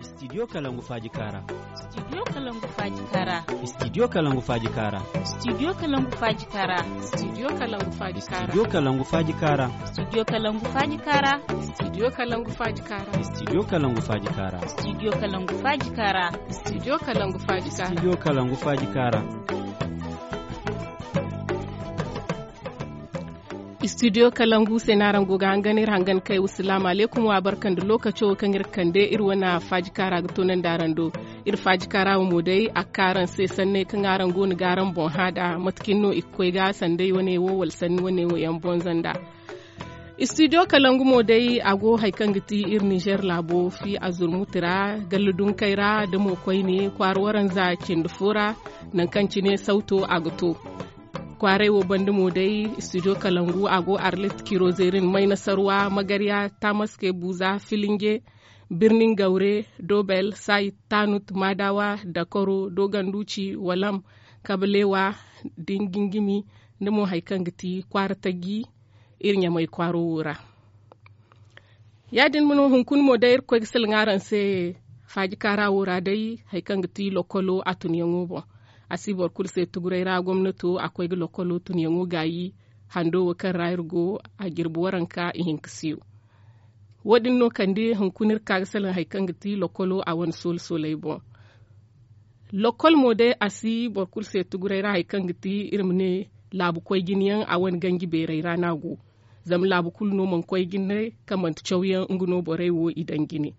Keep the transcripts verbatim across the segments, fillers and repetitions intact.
Studio Kalangu Faaji Kaara. Studio Kalangu Faaji Kaara. Studio Kalangu Faaji Kaara. Studio Kalangu Faaji Kaara. Studio Kalangu Faaji Kaara. Studio Kalangu Faaji Kaara. Studio Kalangu Faaji Kaara. Studio Kalangu Faaji Kaara. Studio Kalangu Faaji Kaara. Studio Kalangu Faaji Kaara. Studio Kalangu Faaji Kaara. Studio Kalangu Faaji Kaara. Studio Kalangu se no araŋ go ga hangan iri hangan kay. Wasalaamu alaykum, wa barka nda lookaco kaŋ iri kande iri wane faaji kaara ga toonandi araŋ do. Iri faaji kaara wo mo day a ga ka araŋ se sanney kaŋ araŋ go no ga araŋ boŋ hã nd'a, mate kaŋ no i ga koy ga sanday wane wo wala sanni wane wo yaŋ bonza nd'a. Studio Kalangu mo day a go hari kaŋ ga ti iri Nizer laabo fi a zurmuti ra, galla dunkey ra nda mo koyne kwaara waranza cindi fo ra, nangu kaŋ cine sawto a ga to. Kwaaray wo banda mo day, studio Kalangu a go Arlit, Kirozerin, Maynasarwa, Magarya, Tamaske, Buza, Filinge, Birnin Gaure, Dobel, Sayit, Tanut, Madawa, Dakoro, Doganduci, Walam, Kabalewa, Dingingimi, nda mo hari kaŋ ga ti Kwaara Taji, iri Ɲamay kwaaro wo ra. Ya-din mo no, hunkuna mo day Irkoy ga salaŋ araŋ se faaji kaara wo ra day, hari kaŋ ga ti lokolo a tunyaŋo boŋ. A si boro kulu se tuguray ra, gomnato a koy ga lokolo tunyaŋo gaayi, hando wo kaŋ ra iri go, a jirbi waranka ihinka siyo. Wo-din no kande hunkuna iri ka ga salaŋ hari kaŋ ga ti lokolo a wane soola-soolay boŋ. Lokol mo day a si boro kulu se tuguray ra hari kaŋ ga ti iri ma ne laabu koy jine yaŋ a wane ganji beeray ra no a go. Zama laabu kulu no mana koy jine kaŋ manti cawyaŋ nga no borey wo i daŋ jine.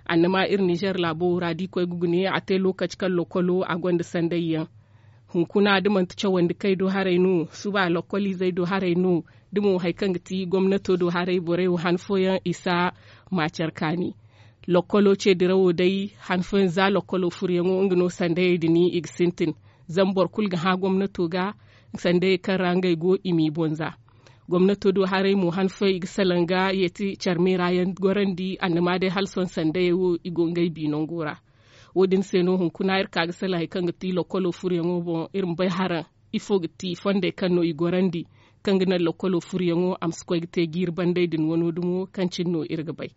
Annama iri Nizer laabo wo ra da i koy ga gune a te lookaci kaŋ lokolo a gonda sanday yaŋ. Hunkuna da manti cawandi kay do haray no, suba lokoliizey do haray no, da mo hari kaŋ ga ti gomnato do haray borey wo han fooyaŋ i si a ma care kaani. Lokolo ce dirawo day han fooyaŋ za lokolo furyaŋo nga no sandayey din i ga sintin. Zama boro kulu ga hã gomnato ga sandayey kaŋ ra ngey go i m'i bonza. Gomnato do haray mo han fooyaŋ i ga salaŋ ga yeeti care meera yaŋ gorandi annama day hala sohõ sandayey wo i go ngey bi nango ra. Wo-din se no hunkuna iri ka ga salaŋ hari kaŋ ga ti lokolo furyaŋo boŋ iri ma bay haraŋ ifo ga ti fondey kaŋ no i gorandi kaŋ ga naŋ lokolo furyaŋo a ma si koy ga te jiiri banday din wano dumo kaŋ cine no iri ga bay.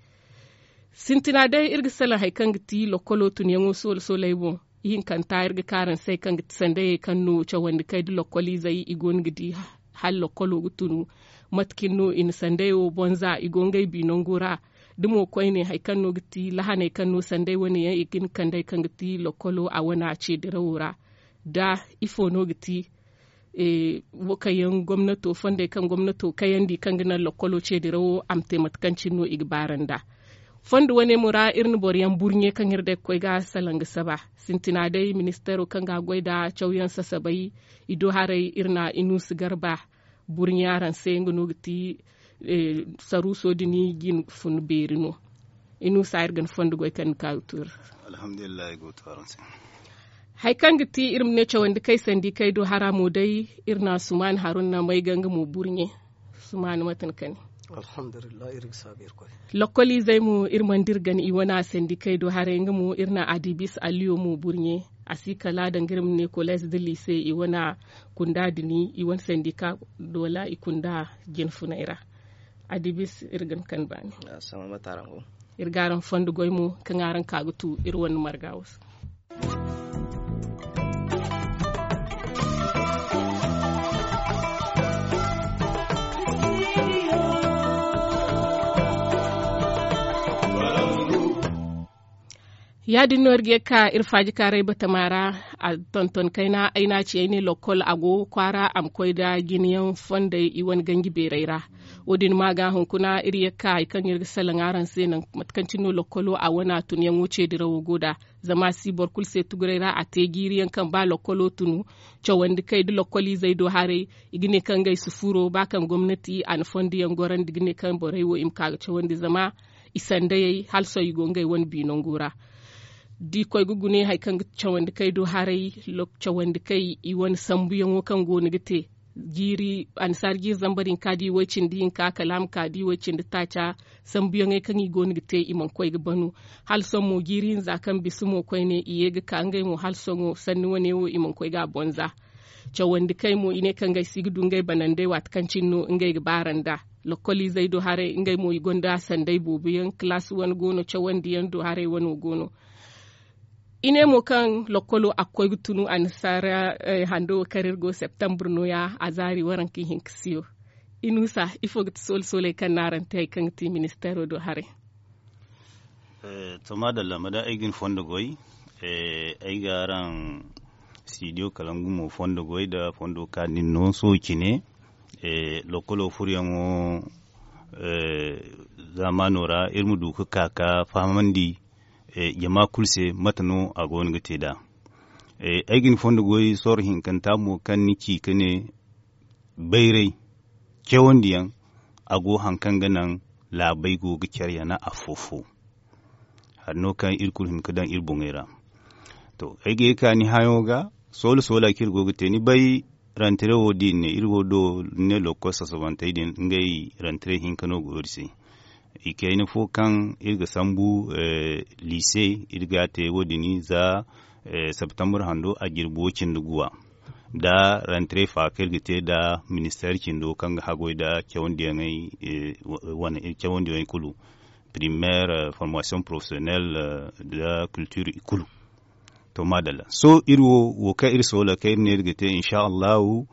Sintina day iri ga salaŋ hari kaŋ ga ti lokolo tunyaŋo soola-soolay boŋ. Ihinkanta iri ga ka araŋ se hari kaŋ ga ti sandayey kaŋ no cawandi kay da lokoliizey i go no ga di hala lokolo ga tunu. Mate kaŋ no i na sandayey wo bonza i go ngey bi nango ra. Da mo koyne hari kaŋ no ga ti lahaney kaŋ no sanday wane yaŋ i ga hin kand'ey kaŋ ga ti lokolo a wana ce dirawo ra. Da ifo no ga ti wo kaŋ yaŋ gomnato fondey kaŋ gomnato kayandi kaŋ ga naŋ lokolo ce dirawo a ma te mate kaŋ cine no i ga baara nd'a. Fondo wane mo ra iri na boro yaŋ burɲe kaŋ iri day ga koy ga salaŋ ga saba. Sintina day ministeero kaŋ ga goy nda cawyaŋ sasabay i do haray iri na inuusu garba burɲe araŋ se nga no ga ti saruuso din jin fun beeri no. Inuusa iri ga ni fondo goy kaŋ ni ka ga tuuri. Alhamdulillahi go to araŋ se. Hari kaŋ ga ti iri ma ne cawandi kay sandi kay do hara mo day iri na sumaani haruna may ga nga mo burɲe. Sumaani mate ni kani? Alhamdulillahi iri ga saabu iri koy. Lokoliizey mo iri mana dira gana i wane sandi kay do haray nga mo iri na adibis aliyo mo burɲe. A si kala danga iri ma ne koleez da liise i wane kunda dini i wane sandi ka doola i kunda jinfunay ra. Adibis iri ga ni kani baani. Iri ga araŋ fondo goy mo kaŋ araŋ ka ga tu iri wane marga wo se. Ya-din no iri ga ye ga ka iri faaji kaaray batama ra. A tonton kayna ay n'a ci ay ne lokkol a go kwaara a ma koy nda jinayaŋ fondey i wane ganji beeray ra. Wo-din ma ga hunkuna iri ye ga ka hari kaŋ iri ga salaŋ araŋ se naŋ mate kaŋ cine no lokkolo a wane tunyaŋo ce dirawo go nd'a. Zama a si boro kulu se tuguray ra a te jiiri yaŋ kaŋ ba lokkolo tunu cawandi kay da lokkoliizey do haray. I ga ne kaŋ ngey si furo ba kaŋ gomnati a na fondo yaŋ gorandi ga ne kaŋ borey wo i ma ka ga cawandi zama i sandayey hala sohõ i go ngey wane bi nango ra. Da i koy ga gune hari kaŋ ga cawandi kay do haray cawandi kay i wane sambuyaŋo kaŋ go no ga te jiiri annasaara jiiri zambar hinka da i way cindi hinka kala a ma ka da i way cindi taaca. Sambuyaŋey kaŋ i go no ga te i mana koy ga banu. Hala sohõ mo jiiri hinza kaŋ bisa mo koyne i ye ga ka ngey mo hala sohõ sanni wane wo i mana koy ga a bonza. Cawandi kay mo i ne kaŋ ngey si ga du ngey banandey waati kaŋ cine no ngey ga baara nd'a. Lokkoliizey do haray ngey mo i gonda sanday boobo yaŋ kalaasi wane go no cawandi yaŋ do haray wano go no. I ne mo kaŋ lokkolo a ga koy ga tunu annasaara hando wo kaŋ iri go septembre no- ya a zaari waranka ihinka siyo. Inusa ifo ga ti soole sooley kaŋ no araŋ te hari kaŋ ga ti ministeero do haray? To maadalla ma day ay ga ni fondo goy. Ay ga araŋ studio kalangu mo fondo goy nda fondo kaani no sohõ cine. Lokkolo furyaŋo zaamaano ra iri ma du ga ka ga fahamandi jama kulu se mate no a go no ga te nd'a. Ay ga ni fondo goy sorro hinkanta mo kaŋ ni ci ga ne bayray cawandiyaŋ a go hari kaŋ ga naŋ laabey go ga care yana afo-fo. Hari no kaŋ iri kulu hin ga daŋ iri boŋey ra. To ay ga ye ga ka ni hayo ga soola soola kaŋ iri go ga te ni bay rantare wo da i ne iri wo do ni ne lokkol sasabantey din ngey rantare hinka no go iri se. I kayna fo kaŋ iri ga sambu liise iri ga a te wo- din za septembre hando a jirbi wo- cindi guwa nda rantare fa kaŋ iri ga te nda ministeer cindo kaŋ ga haggoy nda cawandiyaŋey kulu primaire formation professionnelle nda culture i kulu. To maadalla sohõ iri wo wo kaŋ iri soola kaŋ iri ne iri ga te insa allahu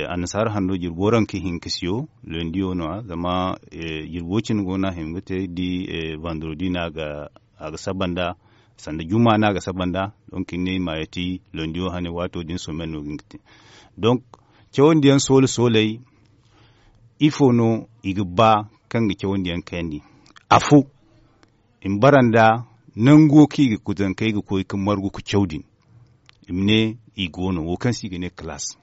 annasaara hando jirbi waranka hinka siyo lundi wo no- ya zama jirbi wo- cindi go no a hima ga te iri di vendredi no a ga saba nd'a sanda juma no a ga saba nd'a. Donk iri ne i ma yeeti lundi wo hane waato din somen no ga hin ga te. Donk cawandiyaŋ soola sooley ifo no i ga ba kaŋ ga cawandiyaŋ kayandi? Afo i ma bara nda nango kaŋ i ga zankey ga koy ga margu ga caw din. I ma ne i go no wo kaŋ se i ga ne kalaas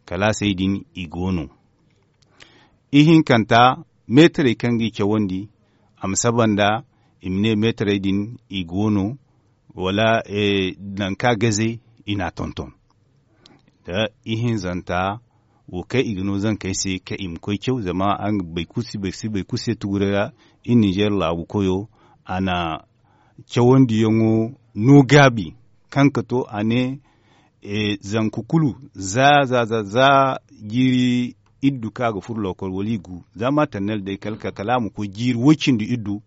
kalaasey din i go no. Ihinkanta meetarey kaŋ ga i cawandi a ma saba nda i ma ne meetarey din i go no wala nangu kaŋ a gaze i n'a tonton. Nda ihinzanta wo kaŋ i ga no zankey se kaŋ i ma koy caw zama araŋ ga bay kulu si bay kulu se tuguray ra. Iri ninzeer laabu koyo a na cawandiyaŋo no gaabi kaŋ ga to a ne zanka kulu za za za za jiiri iddu kaŋ a ga furo lokkol wala i gu za maternel day kala a ma koy jiiri woy cindi iddu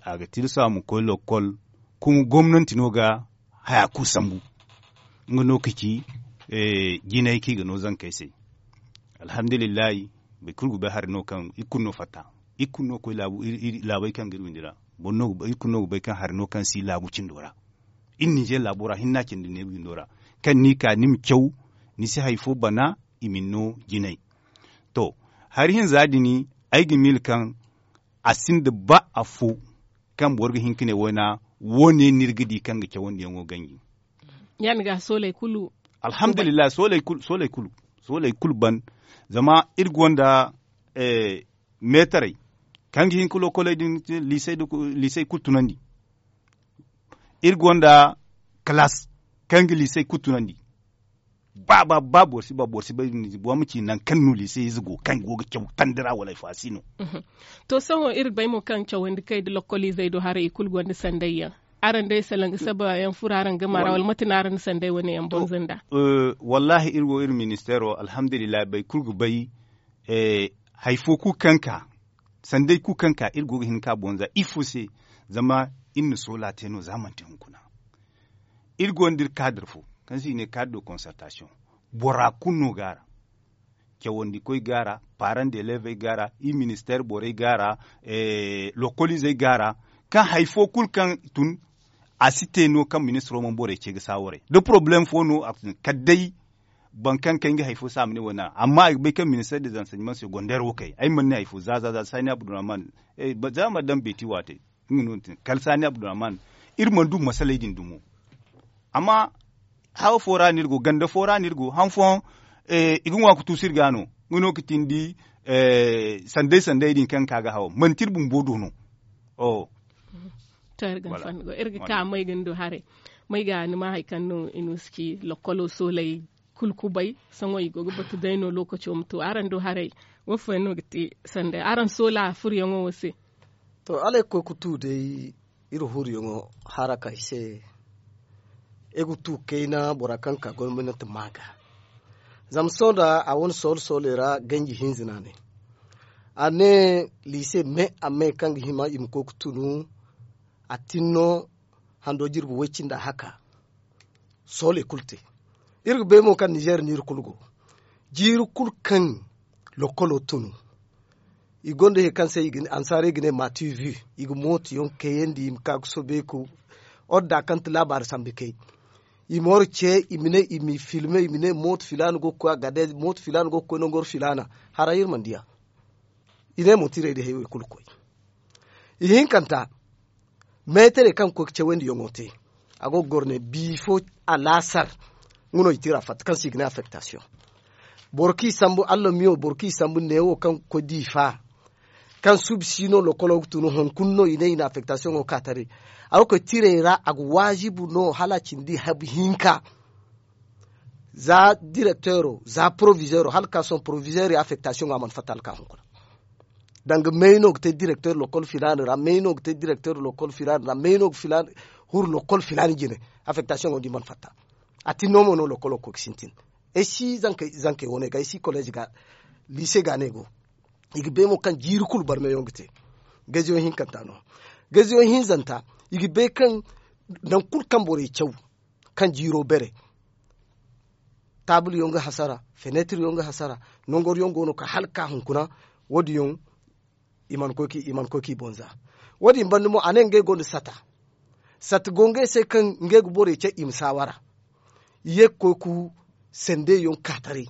a ga tilas a ma koy lokkol. Kuma gomnanti no ga haya kulu sambu nga no ga ci jinay kaŋ i ga no zankey se. Alhamdulillahi boro kulu ga bay hari no kaŋ iri kulu no fatta iri kulu no ga koy laabey kaŋ ga iri windi ra. Iri kulu no ga bay kaŋ hari no kaŋ si laabu cindo ra iri ninzeer laabo ra hinna cindi neebu windo ra kaŋ ni ka ni ma caw ni si hari fo bana i ma ni no jinay. To hari hinza din ay ga miila kaŋ a sinda ba afo kaŋ boro ga hin ga ne wayna wo- ne no iri ga di kaŋ ga cawandiyaŋo ganji. Ya- din ga sooley kulu alhamdulillahi sooley kulu sooley kulu ban zama iri gonda meetarey kaŋ ga hin ga lokoley din liisey kulu tunandi. Iri gonda kalaas kaŋ ga liisey kulu tunandi. Ba ba ba boro si ba boro si bay boro ma ci nangu kaŋ no liisey ize go kaŋ go ga caw tandi ra wala ay fo a si no. To sohõ iri ga bay mo kaŋ cawandi kay nda lokkoliizey do haray i kulu gonda sanday yaŋ. Araŋ day salaŋ ga saba yaŋ furo araŋ game ra wala mate no araŋ na sanday wane yaŋ bonza nd'a? Wallaahi iri wo iri ministeero alhamdulillahi boro kulu ga bay hari fo kulu kaŋ ka sanday kulu kaŋ ka iri go ga hin ga ka bonza ifo se? Zama iri na soola te no za manti hunkuna. Iri gonda iri kaadar fo kaŋ se i ne kaadar de concertation. Bora kulu no go a ra. Cawandikoy go a ra, paaraŋ de leevey go a ra, iri ministeer borey go a ra, lokkoliizey go a ra. Kaŋ hari fo kulu kaŋ tun a si te no kaŋ ministiro mana borey ce ga saawaray da porobalem fo no a ga tun kala day boro kaŋ kay nga hari fo se a ma ne wala ni a amma ay ga bay kaŋ ministeer de zanseɲement segondeer wo kay ay mana ne hari fo za za za saani abdurrahman. Za ma daŋ beeti waatey nga no ni tin kala saani abdurrahman. Iri mana du masaley din dumo. Amma hawo fo ra no iri go ganda fo ra no iri go han fooyaŋ i ga ŋwa ga tuusu iri ga no. Nga no ga tindi sanday sanday din kaŋ ga ka ga hawo manti iri bumbo do no. To iri ga ka may ga ni do haray. May ga ni ma hari kaŋ no i no si ci lokkolo sooley kulu kubay. Sohõ i go ga batu day no lookaco ma to araŋ do haray? Wo fooyaŋ no ga ti sanday araŋ soola furyaŋo wo se? To hala ay ga koy ga tu day iri huruyaŋo haraka i se. Ay ga tu kayna bora kaŋ ka gomnanti ma ga zama sohõ da a wane soolo sooley ra ganji hinza no a ne. a ne liise me a me kaŋ ga hima i ma koy ga tunu. A tin no hando jirbi way-cindi a haka. Sooley kulu te. Iri ga bay mo kaŋ nizeer no iri kulu go. Jiiri kulu kaŋ lokolo tunu, i gonda hari kaŋ se ansaarey ga ne mativi. I ga mooto yaŋ kayandi i ma ka ga soobay ka orda kaŋ ti laabaari sambu kay. I ma war ce i ma ne i m'i filme i ma ne mooto filaana go ga koy a gade mooto filaana go ga koy nangor filaana. Haray iri mana diya. I ne mo tirey da haywey kulu koy. Ihinkanta meetarey kaŋ ga koy ga cawandi yaŋo te. A go ga goro ne biifo alaasar. Nga no i tira fatta kaŋ se i ga ne affektasiyoŋ. Boro kaŋ i sambu allah miyo boro kaŋ i sambu neewo kaŋ ga koy diifa. Kaŋ suubi si no lokolo ga tunu hunkuna no i ne i na affektasiyoŋo ka taray. A ga koy tirey ra a ga waazibu no hala a cindi habu hinka. Za direkteero za porovizeero hala ga ka sohõ porovizeero ya affektasiyoŋo a mana fatta hala ga ka hunkuna. Danga may no ga te direkteer lokol filaana ra may no ga te direkteer lokol filaana ra may no ga huru lokol filaana jine. Affektasiyoŋo da i mana fatta. A tin no mo no lokolo ga koy ga sintin. Ay si zankey wane ga ay si koleez ga liise ga no ay go. I ga bay mo kaŋ jiiri kulu barmeyaŋ ga te. Gaziyoŋ hinkanta no. Gaziyoŋ hinzanta i ga bay kaŋ nangu kulu kaŋ borey caw kaŋ jiiro bare. Taabulyaŋ ga hasara feneetiryaŋ ga hasara. Nangoryaŋ go no ka hala ga ka hunkuna. Wo- din yaŋ i mana koy k'i boŋ za. Wo- din banda mo a ne ngey gonda sata. Sata go ngey se kaŋ ngey ga borey ce i ma saawara. I ye ga koy ga sandey yaŋ ka taray.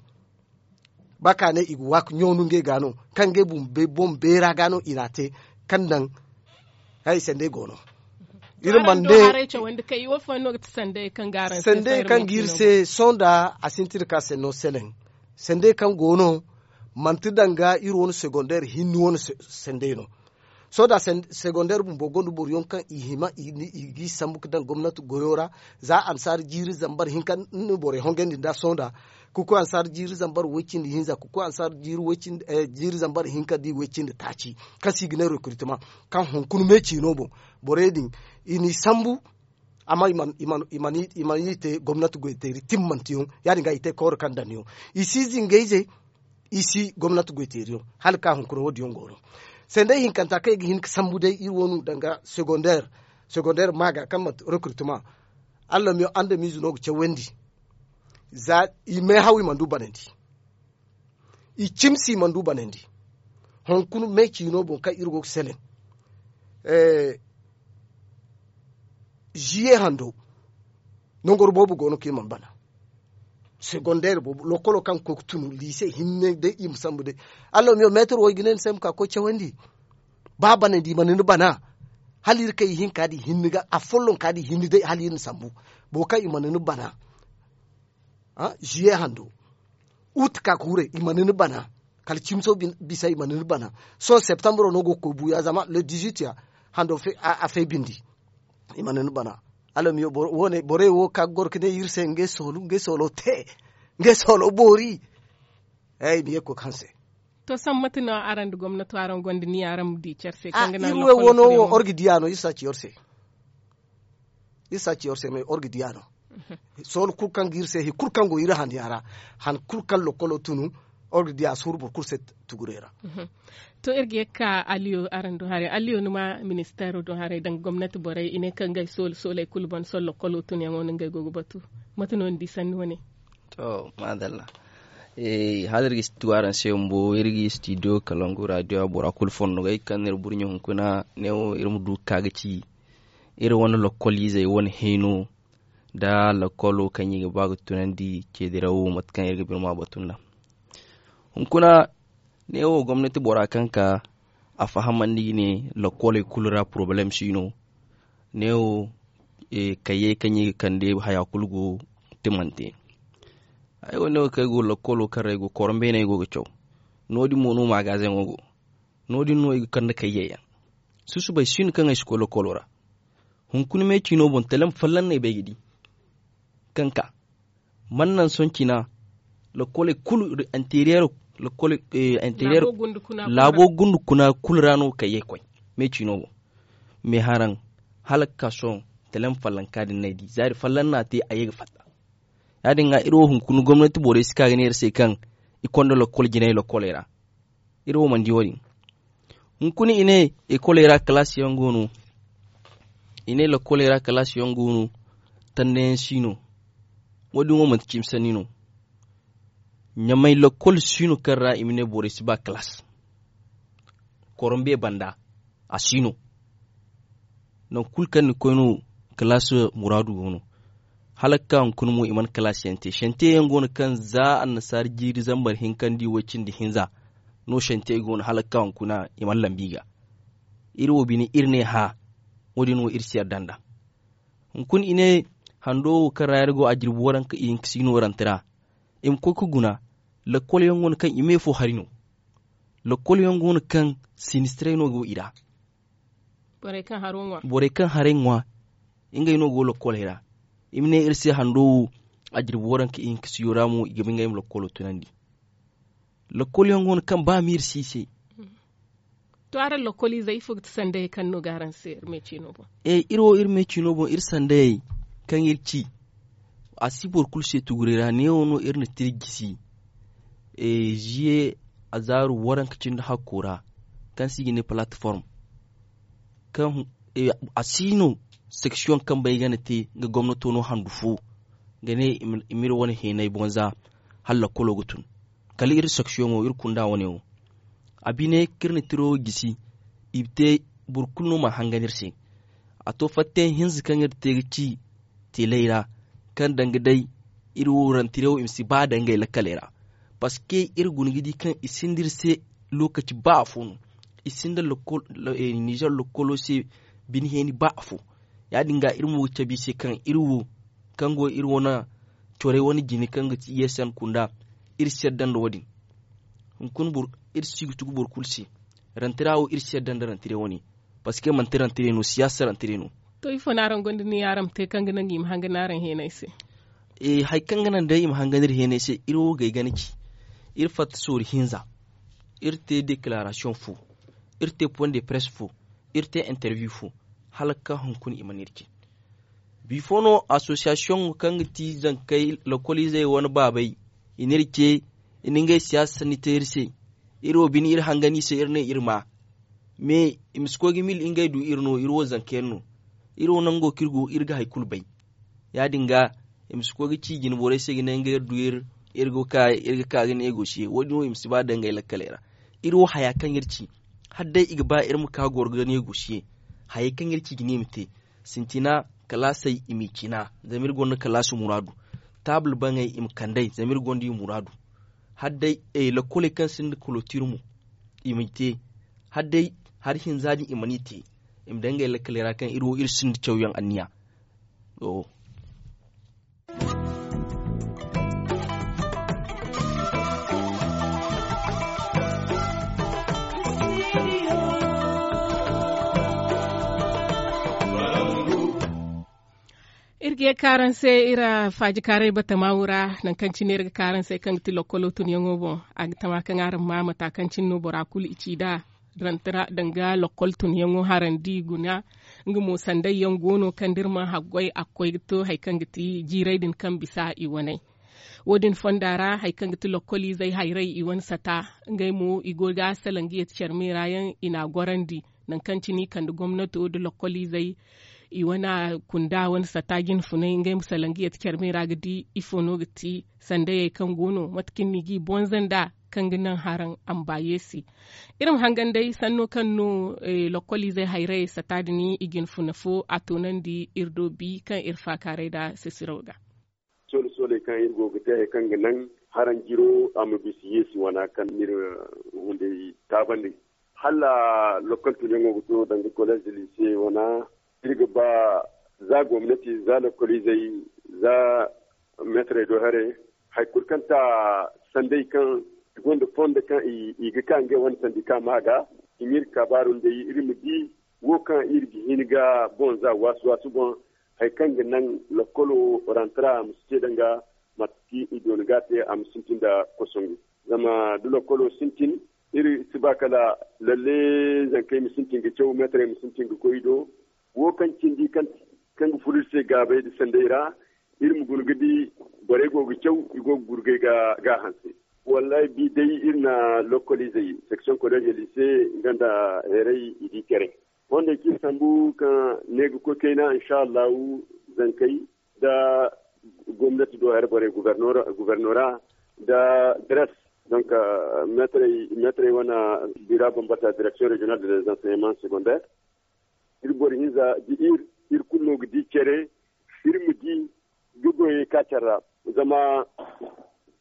Ba ka ne i ga waaka ɲawnu ngey ga no kaŋ ngey boŋ beera ga no i n'a te. Kaŋ naŋ hari sandey go no. Iri mana ne sandey kaŋ ga iri se sohõ nda a sintin ka senno seleŋ. Sandey kaŋ go no manti danga iri wane segondeer hinni wane sandey no. Sohõ da segondeer bumbo gonda boro yaŋ kaŋ i hima i g'i sambu ga daŋ gomnati goyo ra. Za ansaara jiiri zambar hinka ni borey hongandi nda sohõ nda ka koy ansaara jiiri zambar way- cindi hinza ka koy ansaara jiiri zambar hinka da i way- cindi taaci kaŋ se i ga ne rekritema kaŋ hunkuna me ciino boŋ. Borey din i n'i sambu. Amma i mana i te gomnati goyteeri timmanteyaŋ ya- din ga i te kawra kaŋ daŋ yaŋ. I si zingayze i si gomnati goyteeriyaŋ hala ga ka hunkuna wo- din yaŋ go no. Sandey hinkanta kaŋ i ga hin ga sambu day iri wo no danga segondeer. Segondeer maaga kaŋ manti rekritema. Allamiyo andamiize no ga cawandi. Za i meehaw i mana du banandi. I cimsi i mana du banandi. Hunkuna me ciino boŋ kaŋ iri go ga seleŋ. Ziye hando nangoro boobo go no kaŋ i mana bana. Segondeer boobo lokolo kaŋ ga koy ga tunu liise hinne day i ma sambu day. Allamiyo meetir wo i ga ne ni se ay ma ka ga koy cawandi. Ba banandi i mana ni bana. Hala iri kaŋ i hinka din hinne ga afollonka din hinne day hala iri na sambu. Boro kaŋ i mana ni bana. Ziye hando utu ka ga huray i mana ni bana. Kala cimso bisa i mana ni bana. Sohõ septambro no go ga koy buuya zama le dizuit ya hando a fay bindi. I mana ni bana. Alamiyo borey wo ka ga goro ga ne iri se ngey soolu ngey soolo te. Ngey soolo boori. Ay ma ye ga koy ga hanse. To sohõ mate no araŋ nda gomnato araŋ gonda niya araŋ ma di care se kaŋ ga naŋ iri wo no wo or ga diya no iri si a ci or se. Iri si a ci or se me or ga diya no. Sohõ kulu kaŋ ga iri se hari kulu kaŋ go iri handiya ra. Han kulu kaŋ lokolo tunu or ga diya a si huru boro kulu se. Tugurey ra. To iri ga ye ga ka aliyo araŋ do haray aliyo ni ma ministeero do haray danga gomnati borey i ne kaŋ ngey soole sooley kulu ban sohõ lokolo tunyaŋo no ngey go ga batu. Mate no ni di sanni wane? To maadalla. Hala iri ga si tu araŋ se bumbo iri ga studio kalangu radio a bora kulu fondo ga ay kaŋ no iri burɲe hunkuna. Ne wo iri ma du ga ka ga ci iri wane lokol izey wane hayno nda lokolo kaŋ i ga ba ga tunandi ceedirawo mate kaŋ iri ga birma batu nda. Hunkuna ne wo gomnati bora kaŋ ka a fahamandi ga ne lokoley kulu ra porobalem si no. Ne wo kayyey kaŋ i ga kande haya kulu go timante. Ay wo ne wo kaŋ ay go lokolo kaŋ ra ay go korom beene ay go ga caw. No- din mo no magazeŋo go. No- din no ay ga kande kayyey yaŋ. Susubay si no kaŋ ay si koy lokolo ra. Hunkuna me ciino boŋ talem folloŋ no ay bay ga di. Kaŋ ka mana naŋ sohõ cina. Lokoley kulu anteeriyero lokoley anteeriyero laabo gundu kuna kulu ra no kayyey koy. Me ciino boŋ me haraŋ hala ga ka sohõ talem folloŋ ka din no ay di zaari folloŋ no a te a ye ga fatta. Ya- din ga iri wo hunkuna gomnati borey si ka ga ne iri se kaŋ i konda lokol jinay lokoley ra. Iri wo mana di wo- din. Hunkuna i ne, ekoley ra kalaasi yaŋ go no. I ne lakoley ra kalaasi yaŋ go no. Tandayaŋ si no. Wo- din wo manti cimi sanni no. Ɲamay lakol si no kaŋ ra i ma ne borey si ba kalaas. Korombe banda, a si no. Nangu kulu kaŋ ni koy no, kalaas muraadu go no. Hala ga ka hunkuna mo i mana kalaas yaŋ te. Shantiye yaŋ go no kaŋ za annasaara jiiri zambar hinkandi way cindi hinza no. Shantiye go no hala ga ka hunkuna i mana lambi ga. Iri wo bine iri ne hã. Wo- din wo iri si yadda nd'a. Hunkuna i ne hando wo kaŋ ra iri go a jirbi waranka ihinka si no rante ra. I ma koy ga guna. Lakkol yaŋ go no kaŋ i me fo hari no. Lakkol yaŋ go no kaŋ sinistiray no go i ra. Borey kaŋ haray ŋwa, ngey no go lakkoley ra. I ma ne iri se hando wo a jirbi waranka ihinka siyo ra mo i ga ba ngey ma lakkolo tunandi. Lakkol yaŋ go no kaŋ ba ma iri si i se. To araŋ lakkoliizey ifo ga ti sandayey kaŋ no ga araŋ se iri me ciino boŋ? Iri wo iri me ciino boŋ iri sandayey kaŋ iri ci a si boro kulu se tuguray ra neewo no iri na tira gisi. Ziye azaaru waranka cindi hakko ra kaŋ se i ga ne palatiform. Kaŋ a si no seksiyoŋ kaŋ bay ga na te nga gomnato no handu fo ga ne i ma iri wane heenay boŋ za hala lakkolo ga tun. Kala iri seksiyoŋo iri kunda wane wo a bine kaŋ iri na tiro wo gisi. I ma te boro kulu no mana hangan iri se. A to fattayaŋ hinza kaŋ iri te ga ci teeley ra kaŋ danga day iri wo rantire wo i ma si ba dangay lakkaley ra. Paske iri guna ga di kaŋ i sinda iri se lokaci ba afo no. I sinda nizer lokkolo se bine heeni ba afo. Ya- din ga iri mo ga cabe i se kaŋ iri wo kaŋ go iri wane corey wane jine kaŋ ga ti i s n kunda iri si yadda nda wo- din. Hunkuna iri si ga tugu boro kulu se. Rantira wo iri si yadda nda rantira wane. Paske manti rantira no siyaasa rantira no. To ifo no araŋ gonda ni araŋ ma te kaŋ ga naŋ i ma hangan araŋ heenay se? Hari kaŋ ga naŋ day i ma hangan iri heenay se iri wo gay gana ci. Iri fatta soori hinza. Iri te dekilarasiyoŋ fo. Iri te poŋ de press fo. Iri te interview fo. Hala ga ka hunkuna i mana iri ci. Bifo no asosiyasiyoŋo kaŋ ga ti zankey lokoliizey wane baabey i na iri ce. I na ngey siyaasa sanni te iri se. Iri wo bine iri hangan i se iri ne iri ma. Me i ma si koy ga mil ngey du iri no iri wo zanka yaŋ no. Iri wo nango kaŋ iri go iri ga hari kulu bay. Ya- din ga i ma si koy ga ci jine borey se ga ne ngey iri du iri. Iri ga ka ga ne i go siye wo- din wo i ma si ba dangay lakkaley ra. Iri wo haya kaŋ iri ci hala day i ga ba iri ma ka goro ga ne i go siye. Hayey kaŋ iri ci ga ne i ma te sintina kalaasey i m'i cina. Zama iri gonda kalaasi muraadu. Taabul baŋey i ma kand'ey zama iri gonda i muraadu. Hala day lakoley kaŋ sinda kolotir mo i m'i te. Hala day hari hinza din i mana i te. I ma daŋ ngey lakkaley ra kaŋ iri wo iri sinda cawyaŋ anniya. Iri ga ye ga ka araŋ se iri faajikaaray batama wo ra. Nangu kaŋ cine iri ga ka araŋ se kaŋ ga ti lokkolo tunyaŋo boŋ a ga tama kaŋ araŋ ma mata kaŋ cine no bora kulu i ci nd'a. Danga lokkol tunyaŋo harandi guna. Nga mo sanday yaŋ go no kaŋ da iri mana haggoy a ga koy ga to hari kaŋ ga ti jiiray din kaŋ bisa i waney. Wo- din fonda ra hari kaŋ ga ti lokkoliizey hayray i wane sata. Ngey mo i go ga salaŋ ga yeti care me ra yaŋ i n'a gorandi. Nangu kaŋ cine i kande gomnato nda lokkoliizey i wane kunda wane sata jinfunay ngey ma salaŋ ga yeti care me ra ga di ifo no ga ti sandayey kaŋ go no mate kaŋ ni g'i bonza nd'a kaŋ ga naŋ haraŋ a ma ba yeesi. Iri ma hangan day sanno kaŋ no lokkoliizey hayrayey sata din i jinfuna fo a toonandi iri do bi kaŋ iri faakaaray nd'a sesiro ga. Soole sooley kaŋ iri go ga te hari kaŋ ga naŋ haraŋ jiro a ma bisa yeesi wana kaŋ n'iri hunday taabandi. Hala lokkol tunyaŋo ga to danga koleez da liise wana. Iri ga ba za gomnati za lokkoliizey za meetarey do haray. Hari kulu kaŋ ta sanday kaŋ i gonda fondo kaŋ i ga ka ngey wane sandika ma ga i m'iri kabaaru nd'ey iri ma di wo kaŋ iri ga hin ga boŋ za waasu waasu boŋ. Hari kaŋ ga naŋ lokkolo rantara a ma si te danga mate kaŋ i doona ga a te a ma sintin nda kosongu. Zama da lokkolo sintin iri si ba kala lalle zankey ma sintin ga caw meetarey ma sintin ga koy i do. Wo kaŋ cindi kaŋ ga furo iri se gaabey nda sanday ra iri ma guna ga di borey go ga caw i go ga gurgay ga a hanse. Wallahi bi day iri na lokoliizey section college lycée nga nda heeray i di care. Fondey kaŋ iri sambu kaŋ ne ga koy kayna insha allahu zankey nda gomnati do hari borey guvernora nda dres. Donc meetarey wane bira bambata direction régionale des enseignements secondaires, iri boro hinza da iri iri kulu no ga di care. Iri ma di ga goyey ka care ra zama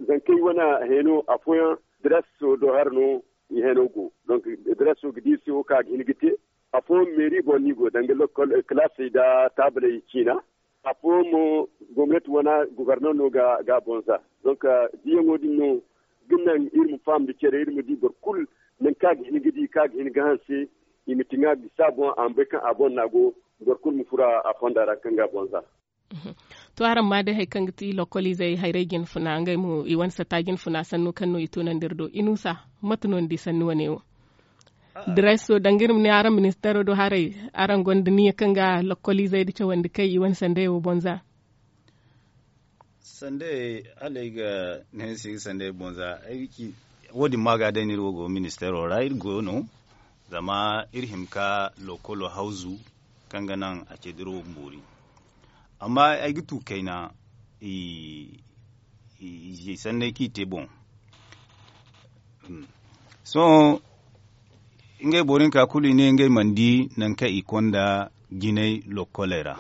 zankey wane heno afooyaŋ dreso do hara no i heno go. Donc dreso ga di iri se wo kaŋ a ga hin ga te afooyaŋ meeri boŋ no i go danga lokol kilaasey nda taabaley ciina. Afooyaŋ mo gomnati wane guverner no ga a boŋ za. Donc diyaŋo din no ga naŋ iri ma faham nda care iri ma di boro kulu nangu kaŋ a ga hin ga di kaŋ a ga hin ga hanse i ma ti ŋwa bisa boŋ a ma bay kaŋ a boŋ no a go. Boro kulu ma furo a fonda ra kaŋ ga a boŋ za. To araŋ ma day hari kaŋ ga ti lokoliizey hayrey jinfuna ngey mo i wane sata jinfuna sannu kaŋ no i toonandi iri do inusa? Mate no ni di sanni wane wo? Dreso danga iri ma ne araŋ ministeero do haray araŋ gonda niya kaŋ ga lokoliizey da cawandi kay i wane sandey wo boŋ za? Sandey hala ay ga ne ni se ay ga sandey boŋ za. Wo- din ma ga day no iri wo go ministeero ra iri go no. Zama iri hima ka lokolo hawzu kaŋ ga naŋ a ce da iri wo boori. Amma ay ga tu kayna i sanney kaŋ i te boŋ. Sohõ ngey boro hinka kulu i ne ngey mana di nangu kaŋ i konda jinay lokkoley ra.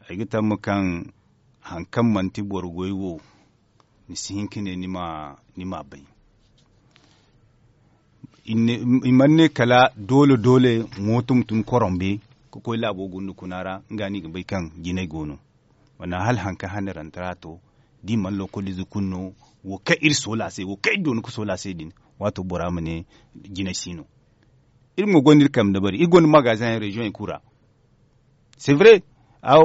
Ay ga tamma kaŋ hari kaŋ manti boro goy wo ni si hin ka ne ni ma bay. I mana ne kala doole doole mooto ma tun korombe ka koy laabo gunda kuna ra nga no i ga bay kaŋ jinay go no. Wala hala hari kaŋ hane rantara to da i mana lokolize kulu no. Wo kaŋ iri soola se wo kaŋ iri doona ka soola se din waato bora ma ne jinay si no. Iri mo gonda iri kambe dabari iri gonda magasin yaŋ reziyoŋey kulu ra. C'est vrai.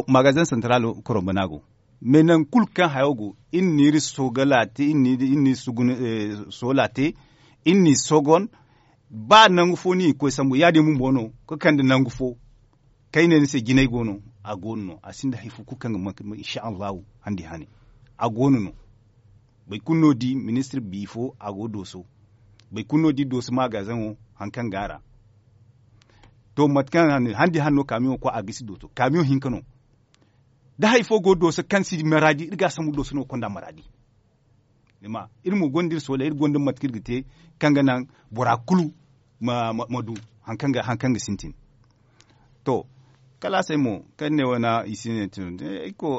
Magasin santaral korombe no a go. Mais nangu kulu kaŋ hayo go iri na iri sogala te iri na iri soola te iri na iri sogon. Ba nangu fo no i ga koy sambu ya- din bumbo no ka kande nangu fo. Kaŋ ay ne ni se jinay go no a go no no a sinda hari fo kulu kaŋ ga ma insha allahu handi hane. A go no no. Boro kulu no di ministir bifo a go dooso. Boro kulu no di dooso magazeŋo hari kaŋ go a ra. To mate kaŋ handi hane no kaamiyoŋo koy a gisi dooso kaamiyoŋ hinka no. Da hari fo go dooso kaŋ si maraadi iri ga a sambu dooso no ga konda maraadi. Iri mo gonda iri soolay iri gonda mate kaŋ iri ga te kaŋ ga naŋ bora kulu ma du hari kaŋ ga sintin. To kalaasey mo kaŋ iri ne wane i si ne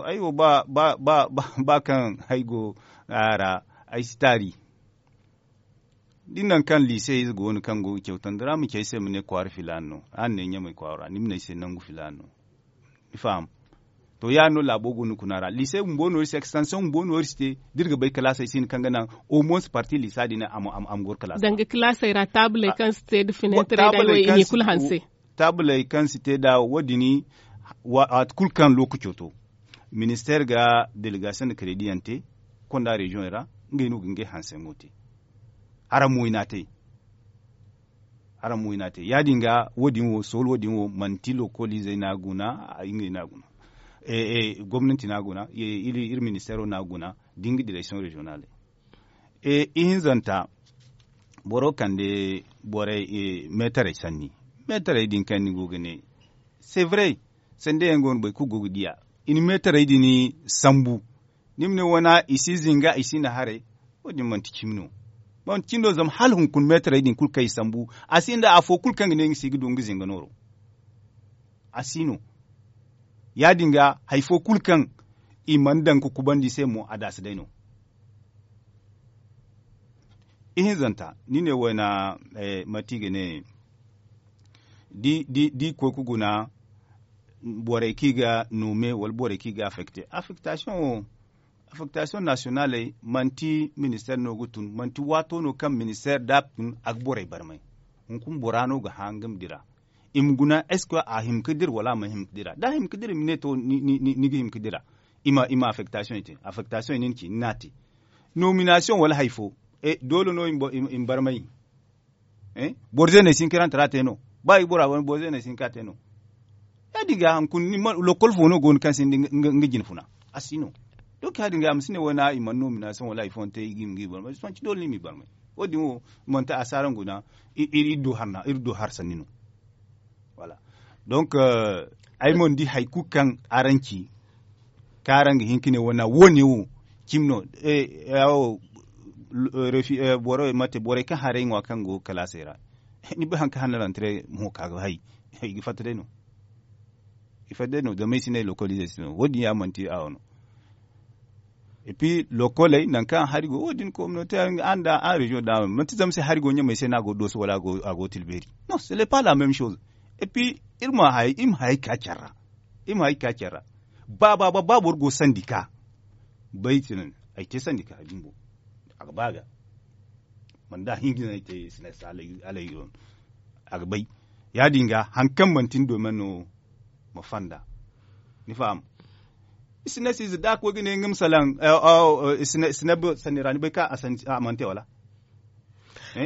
ay wo ba kaŋ ay go a ra ay si taari. Da ni naŋ kaŋ liise ize go no kaŋ go ga cawtandi ra ma ci ay se ma ne kwaara filaana no araŋ ne ɲamay kwaara ra ni ma ne ay se nangu filaana no. Ni faham? To ya- din no laabo go no kuna ra liise bumbo no iri se extension bumbo no iri si te da iri ga bay kalaasey si hin kaŋ ga naŋ au moins parti liisa din a ma goro kalaasey ra. Taabuley kaŋ si te da fineetarey da hayo i n'i kulu hanse. Taabuley kaŋ si te nd'a wo- din waati kulu kaŋ lookaco to ministeer ga delegasiyoŋ nda kredi yaŋ te konda reziyoŋey ra. Ngey no ga ngey hanseyaŋo te. Araŋ mo i n'a te. Araŋ mo i n'a te ya- din ga wo- din wo sool wo- din wo manti lokooliizey no a guna. Ngey no a guna. Gomnanti no a guna. Iri ministeero no a guna da nga direksiyoŋ reziyonaaley. Ihinzanta boro kande borey meetarey sanni. Meetarey din kaŋ ni go ga ne c'est vrai. Sanda yaŋ go no boro kulu go ga diya i na meetarey din sambu. Ni ma ne wane i si zinga i si na haray. Wo- din manti cimi no. Manti cimi no zama hala hunkuna meetarey din kulu kaŋ i sambu a sinda afo kulu kaŋ ga ne nga se i ga du nga zinga nooro. A si no. Ya- din ga hari fo kulu kaŋ i mana daŋ ga kubandi i se mo a daasi day no. Ihinzanta ni ne wayna mate i ga ne da i koy ga guna borey kaŋ i ga nume wala borey kaŋ i ga affekte affektasiyoŋ wo affektasiyoŋ nasiyonaaley manti ministeer no ga tun manti waato no kaŋ ministeer da a tun a ga borey barmay. Hunkuna bora no ga hã nga ma dira i ma guna est ce que a hima ga dira wala a mana hima ga dira da a hima ga dira i ma ne to ni ga hima ga dira. I ma affektasiyoŋ i te affektasiyoŋ i na ni ci ni n'a te. Nominasiyoŋ wala hari fo doole no i ma barmay. Boro zeeney si hin ka rantara te no ba i bora wane boro zeeney si hin ka te no. Ya- din ga hunkuna lokol fo no go no kaŋ sinda nga jine funa a si no. Donc ya- din ga a ma si ne wo- na i mana no mina sohõ wala hari fooyaŋ te i ga i ma ga i barmay sohõ ci doole no i ma i barmay. Wo- din wo manti a si araŋ guna. Iri do har sanni no. Voilà. Donc ay mana di hari kulu kaŋ araŋ ci kaŋ araŋ ga hin ka ne wo- na wo- ne wo cimi no. Boro mate borey kaŋ haray ŋwa kaŋ go kalaasey ra ni bay hari kaŋ hana rantare mo ka ga hay i ga fatta day no. I fatta day no zama i si ne lokolize si no wo- din ya manti a wo no. Et puis lokoley nangu kaŋ hari go wo- din kominote araŋ da araŋ reziyoŋ da manti zama se hari go ɲamey se no a go dooso wala a go tilbeeri. Non ce n'est pas la même chose. Et puis iri ma hayey ka care ra. Iri ma hayey ka care ra. Ba ba ba boro go sandika bay ti naŋ ay te sandika bumbo. A ga ba ga mana da a hinga no ay te sinasi alay. A ga bay ya- din ga hari kaŋ manti ni domen no ma fonda. Ni faham? Isinasiize da a koy ga ne nga ma salaŋ. Sinab sanni ra ni bay kaŋ a mana te wala?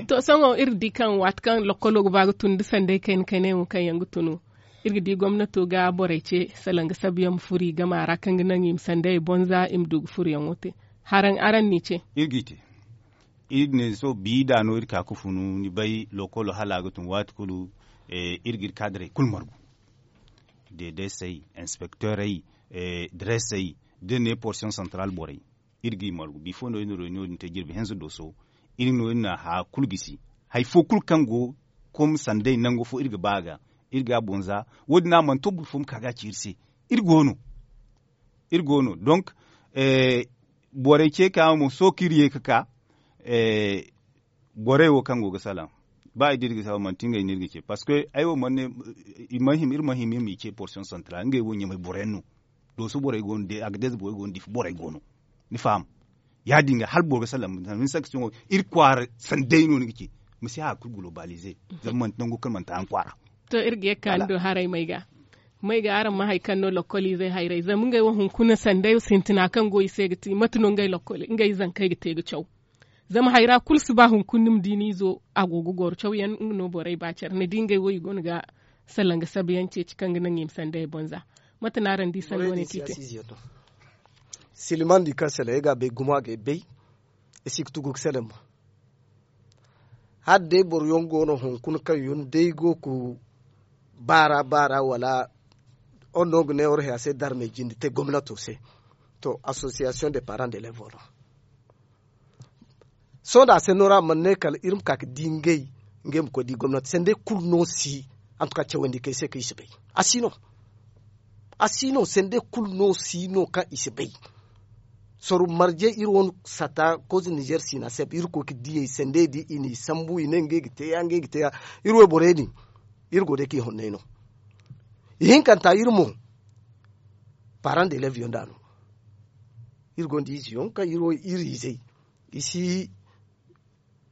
To sohõ iri di kaŋ waati kaŋ lokkolo ga ba ga tun da sanday kayna kayna yaŋ wo kaŋ yaŋ ga tun iri ga di gomnato ga borey ce salaŋ ga sabu yaŋ ma furo i gama ra kaŋ ga naŋ i ma sanday bonza i ma du ga furo yaŋo te. Haraŋ araŋ n'i ce. Iri ne sohõ bi da no iri ka ga funu ni bay lokolo hala a ga tun waati kulu. Iri ga iri kaadirey kulu margu. Dedesey inspekteerey diresey da ne porsiyoŋ santaral borey. Iri ga i margu bifo no iri na reunion din te jirbi hinza dooso. Iri no iri na haya kulu gisi hari fo kulu kaŋ go kom sanday nango fo iri ga ba a ga iri ga a bonza. Wo- din no a mana to boro fo ma ka ga a ci iri se. Iri go no. Iri go no donc borey ce ka mo sohõ kaŋ iri ye ga ka borey wo kaŋ go ga salaŋ ba i da iri ga salaŋ manti ngey no iri ga ce parceque ay wo mana ne iri mana hima iri ma hima iri m'i ce porsiyoŋ santaral ngey wo ɲamay boro yaŋ no. Dooso borey go no de agadez borey go no difa borey go no. Ni faham? Ya- din ga hala boro ga salaŋ iri kwaara sanday no ni ga ce. Ma si haya kulu gulobalize zama manti nango kaŋ manti araŋ kwaara. To iri ga ye ga ka ni do haray may ga may ga araŋ ma hari kaŋ no lokkoliizey hayray zama ngey wo hunkuna sanday sintina kaŋ go i se ga ti mate no ngey zankey ga te ga caw. Zama hayra kulu si ba hunkuna ni ma di ni izo a go ga goro caw yaŋ nga no borey ba care ni di ngey wo i go no ga salanga sabu yaŋ ceeci kaŋ ga naŋ i ma sanday bonza. Mate no araŋ di sanno ne kaŋ i te? Silimandi kaŋ sele ay ga a bay gumo a ga ay bay. Ay si ga tugu ga sele mo. Hala day boro yaŋ go no hunkuna kaŋ yaŋ day go ga baara baara wala oro no ga ne oro haya se darmey jinde te gomnato se. To association de parent de levo no. Sohõ da a se no ra mana ne kala iri ma ka ga di ngey ngey ma koy di gomnati sendey kulu no si. Antuka cawandi kay se kaŋ i si bay. A si no. A si no sendey kulu no si no kaŋ i si bay. Soru marje iri wane sata kozi nizer sina seb iri koy ga diyey sendey di i n'i sambu i ne ngey ga te ya ngey ga te ya. Iri wayborey din iri go day kaŋ i honney no. Ihinkanta iri mo paran de leviyon da no. Iri gonda izeyaŋ kaŋ iri wo iri izey i si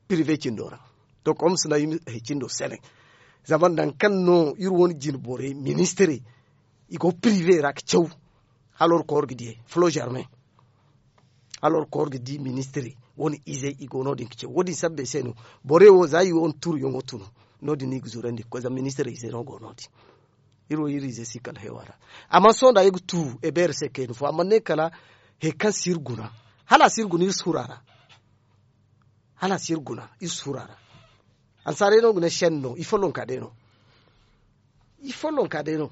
pirive cindo ra. To kom sina i ma hay cindo sele. Zama nangu kaŋ no iri wane jine borey ministirey i go pirive ra ga caw. Hala iri koy iri ga diyey flo germain. Hala iri koy iri ga di ministirey wane izey i go no- din ga caw wo- din sabbey se no. Borey wo za i wane turuyaŋo tunu no- din no i ga zurandi ga koy zama ministirey izey no go no- din. Iri wo iri ize si kala hewa ra. Amma sohõ da iri ga tu ebeere se kayna fo a mana ne kala hari kaŋ si iri guna. Hala a si iri guna iri si furo a ra. Hala a si iri guna iri si furo a ra. Ansaaray no ga ne senno i follonka day no. I follonka day no.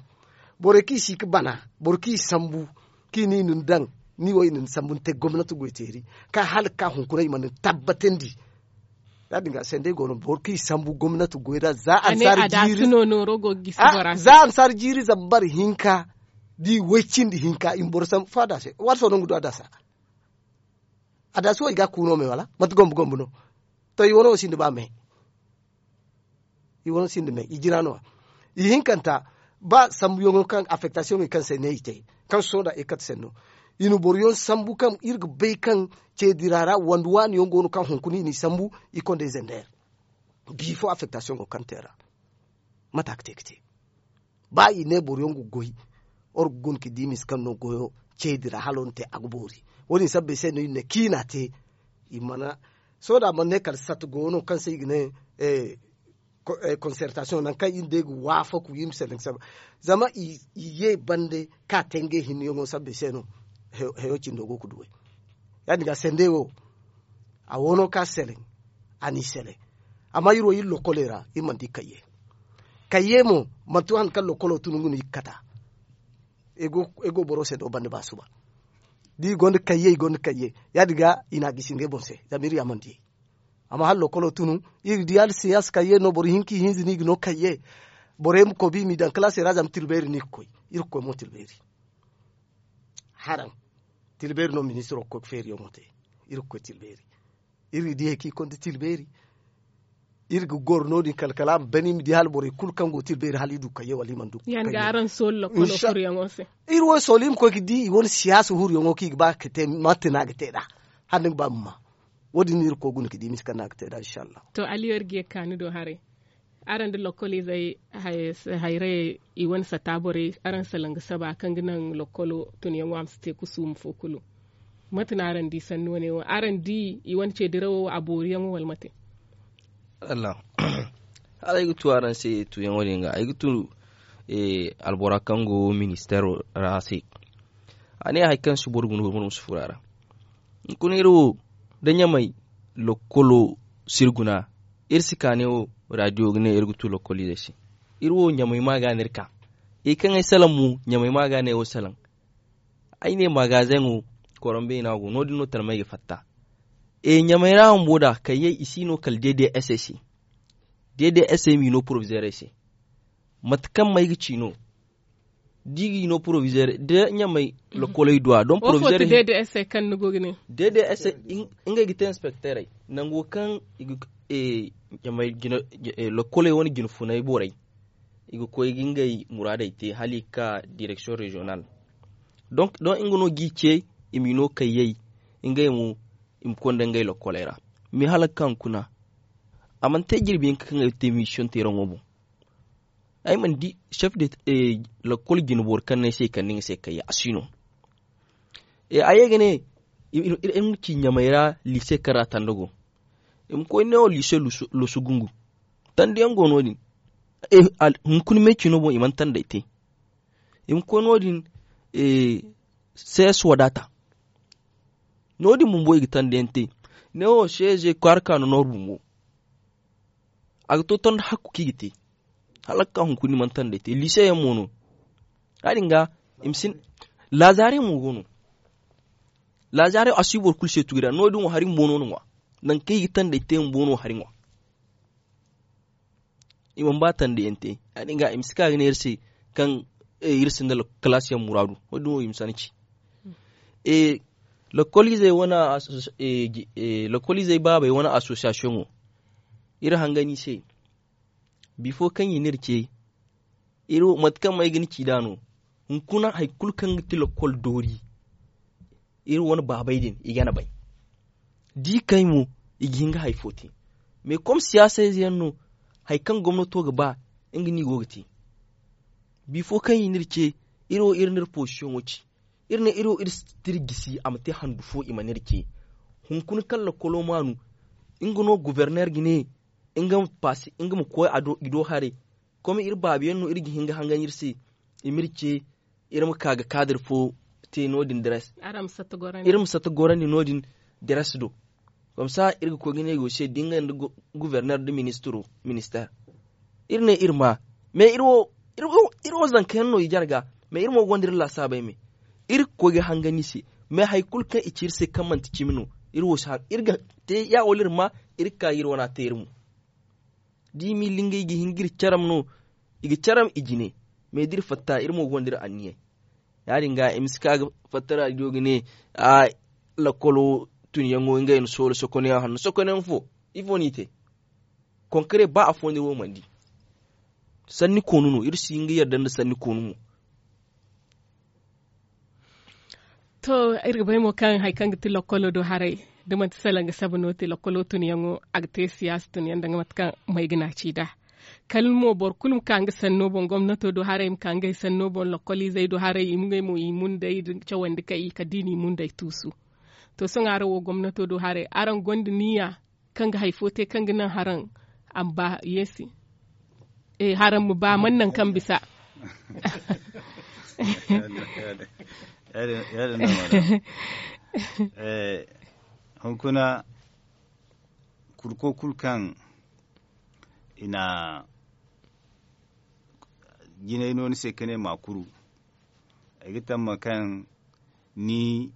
Borey kaŋ i si ga bana boro kaŋ i sambu kaŋ i ne i na ni daŋ ni wo i na ni sambu ni te gomnati goyteeri kaŋ hala ga ka hunkuna i mana ni tabbatandi. Ya- din ga sendey go no boro kaŋ i sambu gomnati goy ra za ansari jiiri za ansari jiiri zambar hinka da i way cindi hinka i ma boro sambu fo a daase waati fo no nga du a daasa. A daasi wo i ga a kuuno me wala mate gombo gombo no. To i wane wo sinda ba me. I wane sinda me i jina no- ya. Ihinkanta ba sambuyaŋo kaŋ affektasiyoŋey kaŋ se ne i te kaŋ sohõ da i kate senno i na boroyaŋ sambu kaŋ iri ga bay kaŋ ceedira ra wande waani yaŋ go no kaŋ hunkuna i n'i sambu i kondey zender. Bifo affektasiyoŋo kaŋ te ra mate a ga te ga te. Ba i ne boroyaŋ ga goy oro ga guna ga di misa kaŋ no goyo ceedi ra hala iri na te a ga boori. Wo- din sabbay se no iri ne kaŋ i na a te. I mana sohõ da a mana ne kala sata go no kaŋ se i ga ne konsertasiyoŋ nangu kaŋ iri day ga waafaku iri ma se nangu saba. Zama i ye bande kaŋ a te ngey hinne yaŋo sabbay se no. hayo cindo go ga duway. Ya- din ga sendey wo a wo no ka seleŋ. A n'i seleŋ. Amma iri wo iri lokkoley ra iri mana di kayye. Kayye mo manti wo hari kaŋ lokkolo tun nga no iri ga kata. Ay go boro se do banda ba suba. Da i gonda kayye i gonda kayye. Ya- din ga i n'a gisi ngey boŋ se zama iri ya mana diyay. Amma hala lokkolo tunu iri ga di hala siyaasa kayye no boro hinka i hinza no i ga no kayye. Borey ma kobi i m'i daŋ kalaasey ra zama tilbeeri no i ga koy. Iri ga koy mo tilbeeri. Haraŋ tilbeeri no ministiro ga koy ga feeriyaŋo te. Iri ga koy tilbeeri. Iri ga di hari kaŋ i konda tilbeeri. Iri ga goro no- din kala kala a ma bana i ma di hala borey kulu kaŋ go tilbeeri hala i du kayye wala i mana du. Iri wo soolu i ma koy ga di i wane siyaasa huruyaŋo kaŋ i ga ba ga te mate no a ga te nd'a. Hala ni ga ba ma ma. Wo- din no iri ga koy guna ga di misa kaŋ no a ga te nd'a insa allahu. To aliyo iri ga ye ga ka ni do haray. Araŋ nda lokkoliizey hayrayey i wane sata borey araŋ salaŋ ga saba kaŋ ga naŋ lokkolo tunyaŋo a ma si te kusuuma fo kulu. Mate no araŋ di sanni wane wo araŋ di i wane ce dirawo a booriyaŋo wala mate? Hala ay ga tu araŋ se tuyaŋo din ga ay ga tu albora kaŋ go ministeero ra se. A ne hari kaŋ si boro guna boro ma si furo a ra. Hunkuna iri wo da ɲamay lokkolo si iri guna. Iri si ka ne wo radiyo ga ne iri ga tu lokkoliizey se. Iri wo ɲamay ma ga no iri ka. Hari kaŋ ay salaŋ mo ɲamay ma ga no ay wo salaŋ. Ay ne magazeŋo koronbeena go no- din no talmay ga fatta. Ɲamay ra bumbo da kayyey i si no kala dede ese se. Dede ese m'i no porobizeerey se. Mate kaŋ may ga ci no da i g'i no porobizeerey da ɲamay lokkoley du a don porobizeerey. Dede ese kaŋ ni go ga ne dede ese ngey ga te inspekteerey nango kaŋ i ga ɲamay lokkoley wane jine funay borey. I ga koy ga ngey muraadey te hala i ga ka direksiyoŋ reziyonal. Donk don nga no g'i ce i m'i no kayyey. Ngey mo i ma konda ngey lokkoley ra. Mais hala ga ka hunkuna a mana te jirbi hinka kaŋ ay ga te misiyoŋ teeraŋo boŋ. Ay mana di sef de lokkol jine boro kaŋ no ay se i kande nga se kayya a si no. A ye ga ne iri ma ci ɲamay ra liise kaŋ ra tanda go. I ma koy neewo liise losu gungu. Tanda yaŋ go no- din hunkuna meecino boŋ i mana tandey te. I ma koy no- din sees wadata. No- din bumbo i ga tanda yaŋ te. Neewo seeze kwaara ka no nooru bumbo. A ga to tanda hakku kaŋ i ga te. Hala ga ka hunkuna i mana tandey te liise yaŋ mo no. Ya- din ga i ma si ne laazaarey mo go no. Laazaarey a si boro kulu se tugu ra no- din wo hari bumbo no na ŋwa. Nangu kaŋ i ga tandey te bumbo no hari ŋwa. I mana ba tanda yaŋ te. Ya- din ga i ma si ka ga ne iri se kaŋ iri sinda kalaasiyaŋ muraadu. Wo- din wo i ma si a ni ci. Lokoliizey wane lokoliizey baabey wane asosiyasiyoŋo. Iri hangan i se bifo kaŋ i n'iri ce. Mate kaŋ ma ay ga ni ci nd'a no. Hunkuna hari kulu kaŋ ga ti lokol doori. Iri wane baabey din i gana bay. Da i kay mo i ga hin ga hari fo te. Mais kom siyaasa ize yaŋ no hari kaŋ gomnato ga ba nga no i go ga te. Bifo kaŋ i n'iri ce iri wo iri n'iri posisiyoŋo ci. Iri ne iri wo iri si tira gisi a ma te handu fo i mana iri ce. Hunkuna kaŋ lokolo maanu nga no goborner ga ne nga ma koy i do haray. Kome iri baabiyaŋ no iri ga hin ga hangan iri se. I m'iri ce iri ma ka ga kaadir fo te no- din dires. Iri ma satta gorandi no- din dires do. Komsa iri ga koy ga ne go se da ngey nda goborner nda ministiro minister. Iri ne iri ma mais iri wo zanka yaŋ no i jare ga. Mais iri mo gonda iri laasaabey me iri ga koy ga hangan i se. Mais hari kulu kaŋ i ci iri se kaŋ manti cimi no iri wo si haŋ iri ga te ya wala iri ma iri ga ka ga iri wana te iri mo. Da i m'i lingay i ga hin ga iri caram no i ga caram i jine. Mais da iri fatta iri mo gonda iri anniyey. Ya- din ga i ma si ka ga fatta raadiyo ga ne a lakkolo tunyaŋo ngey na soola sokonayaŋ hanno sokonayaŋ fo. Ifo no i te konkare ba afo no iri wo mana di. Sanni koonu no iri si hin ga yarda nda sanni koonu mo. To iri ga bay mo kaŋ hari kaŋ ga ti lakkolo do haray da manti salaŋ ga saba no te lakkolo tunyaŋo a ga te siyaasa tunyaŋ danga mate kaŋ may ga naaci nd'a. Kala mo boro kulu ma ka nga sanno boŋ gomnato do haray ma ka ngey sanno boŋ lakkoliizey do haray i ma ngey mo i mundey nda cawandi kay i kala da i n'i mundey tuusu. To sohõ araŋ wo gomnato do haray araŋ gonda niya kaŋ ga hari fo te kaŋ ga naŋ haraŋ a ma ba yeesi. Haraŋ ma ba mana naŋ kaŋ bisa. Yaadin no mara. Hunkuna kurko kulu kaŋ i na jinay no ni se ka ne ma kuru. Ay ga tamma kaŋ ni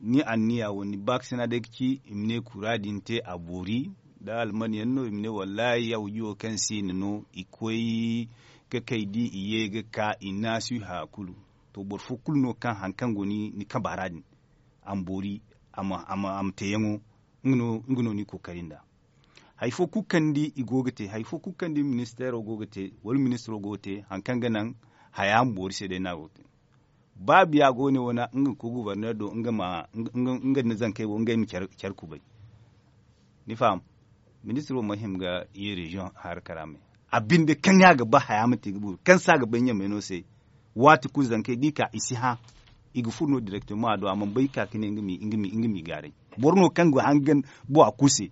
ni anniya wo ni baakasina day ga ci i ma ne kura din te a boori. Da alman yaŋ no i ma ne wallahi yawji wo kaŋ se i na no i koy ka kay di i ye ga ka i naasiha kulu. To boro fo kulu no kaŋ hari kaŋ go ni kamba ra din a ma boori a ma teeyaŋo. Nga no ni kookari nd'a hari fo kulu kaŋ ni di i go ga te hari fo kulu kaŋ ni di ministeero go ga te wala ministiro go ga te hari kaŋ ga naŋ haya ma boori se day no a go ga te. Ba biya go ne wane nga ga koy gubarneer do nga nda zankey wo ngey ma care kubay. Ni faham? Ministiro ma hima ga ye reziyoŋ haraka ra me a binde kaŋ ya ga ba haya ma te ga buru kaŋ se a ga bay ɲamay no se. Waati kulu zankey da i ka i si hã i ga furo no direktoma a do a mana bay ga ka ga ne nga m'i gaaray. Boro no kaŋ ga hangan bora kulu se.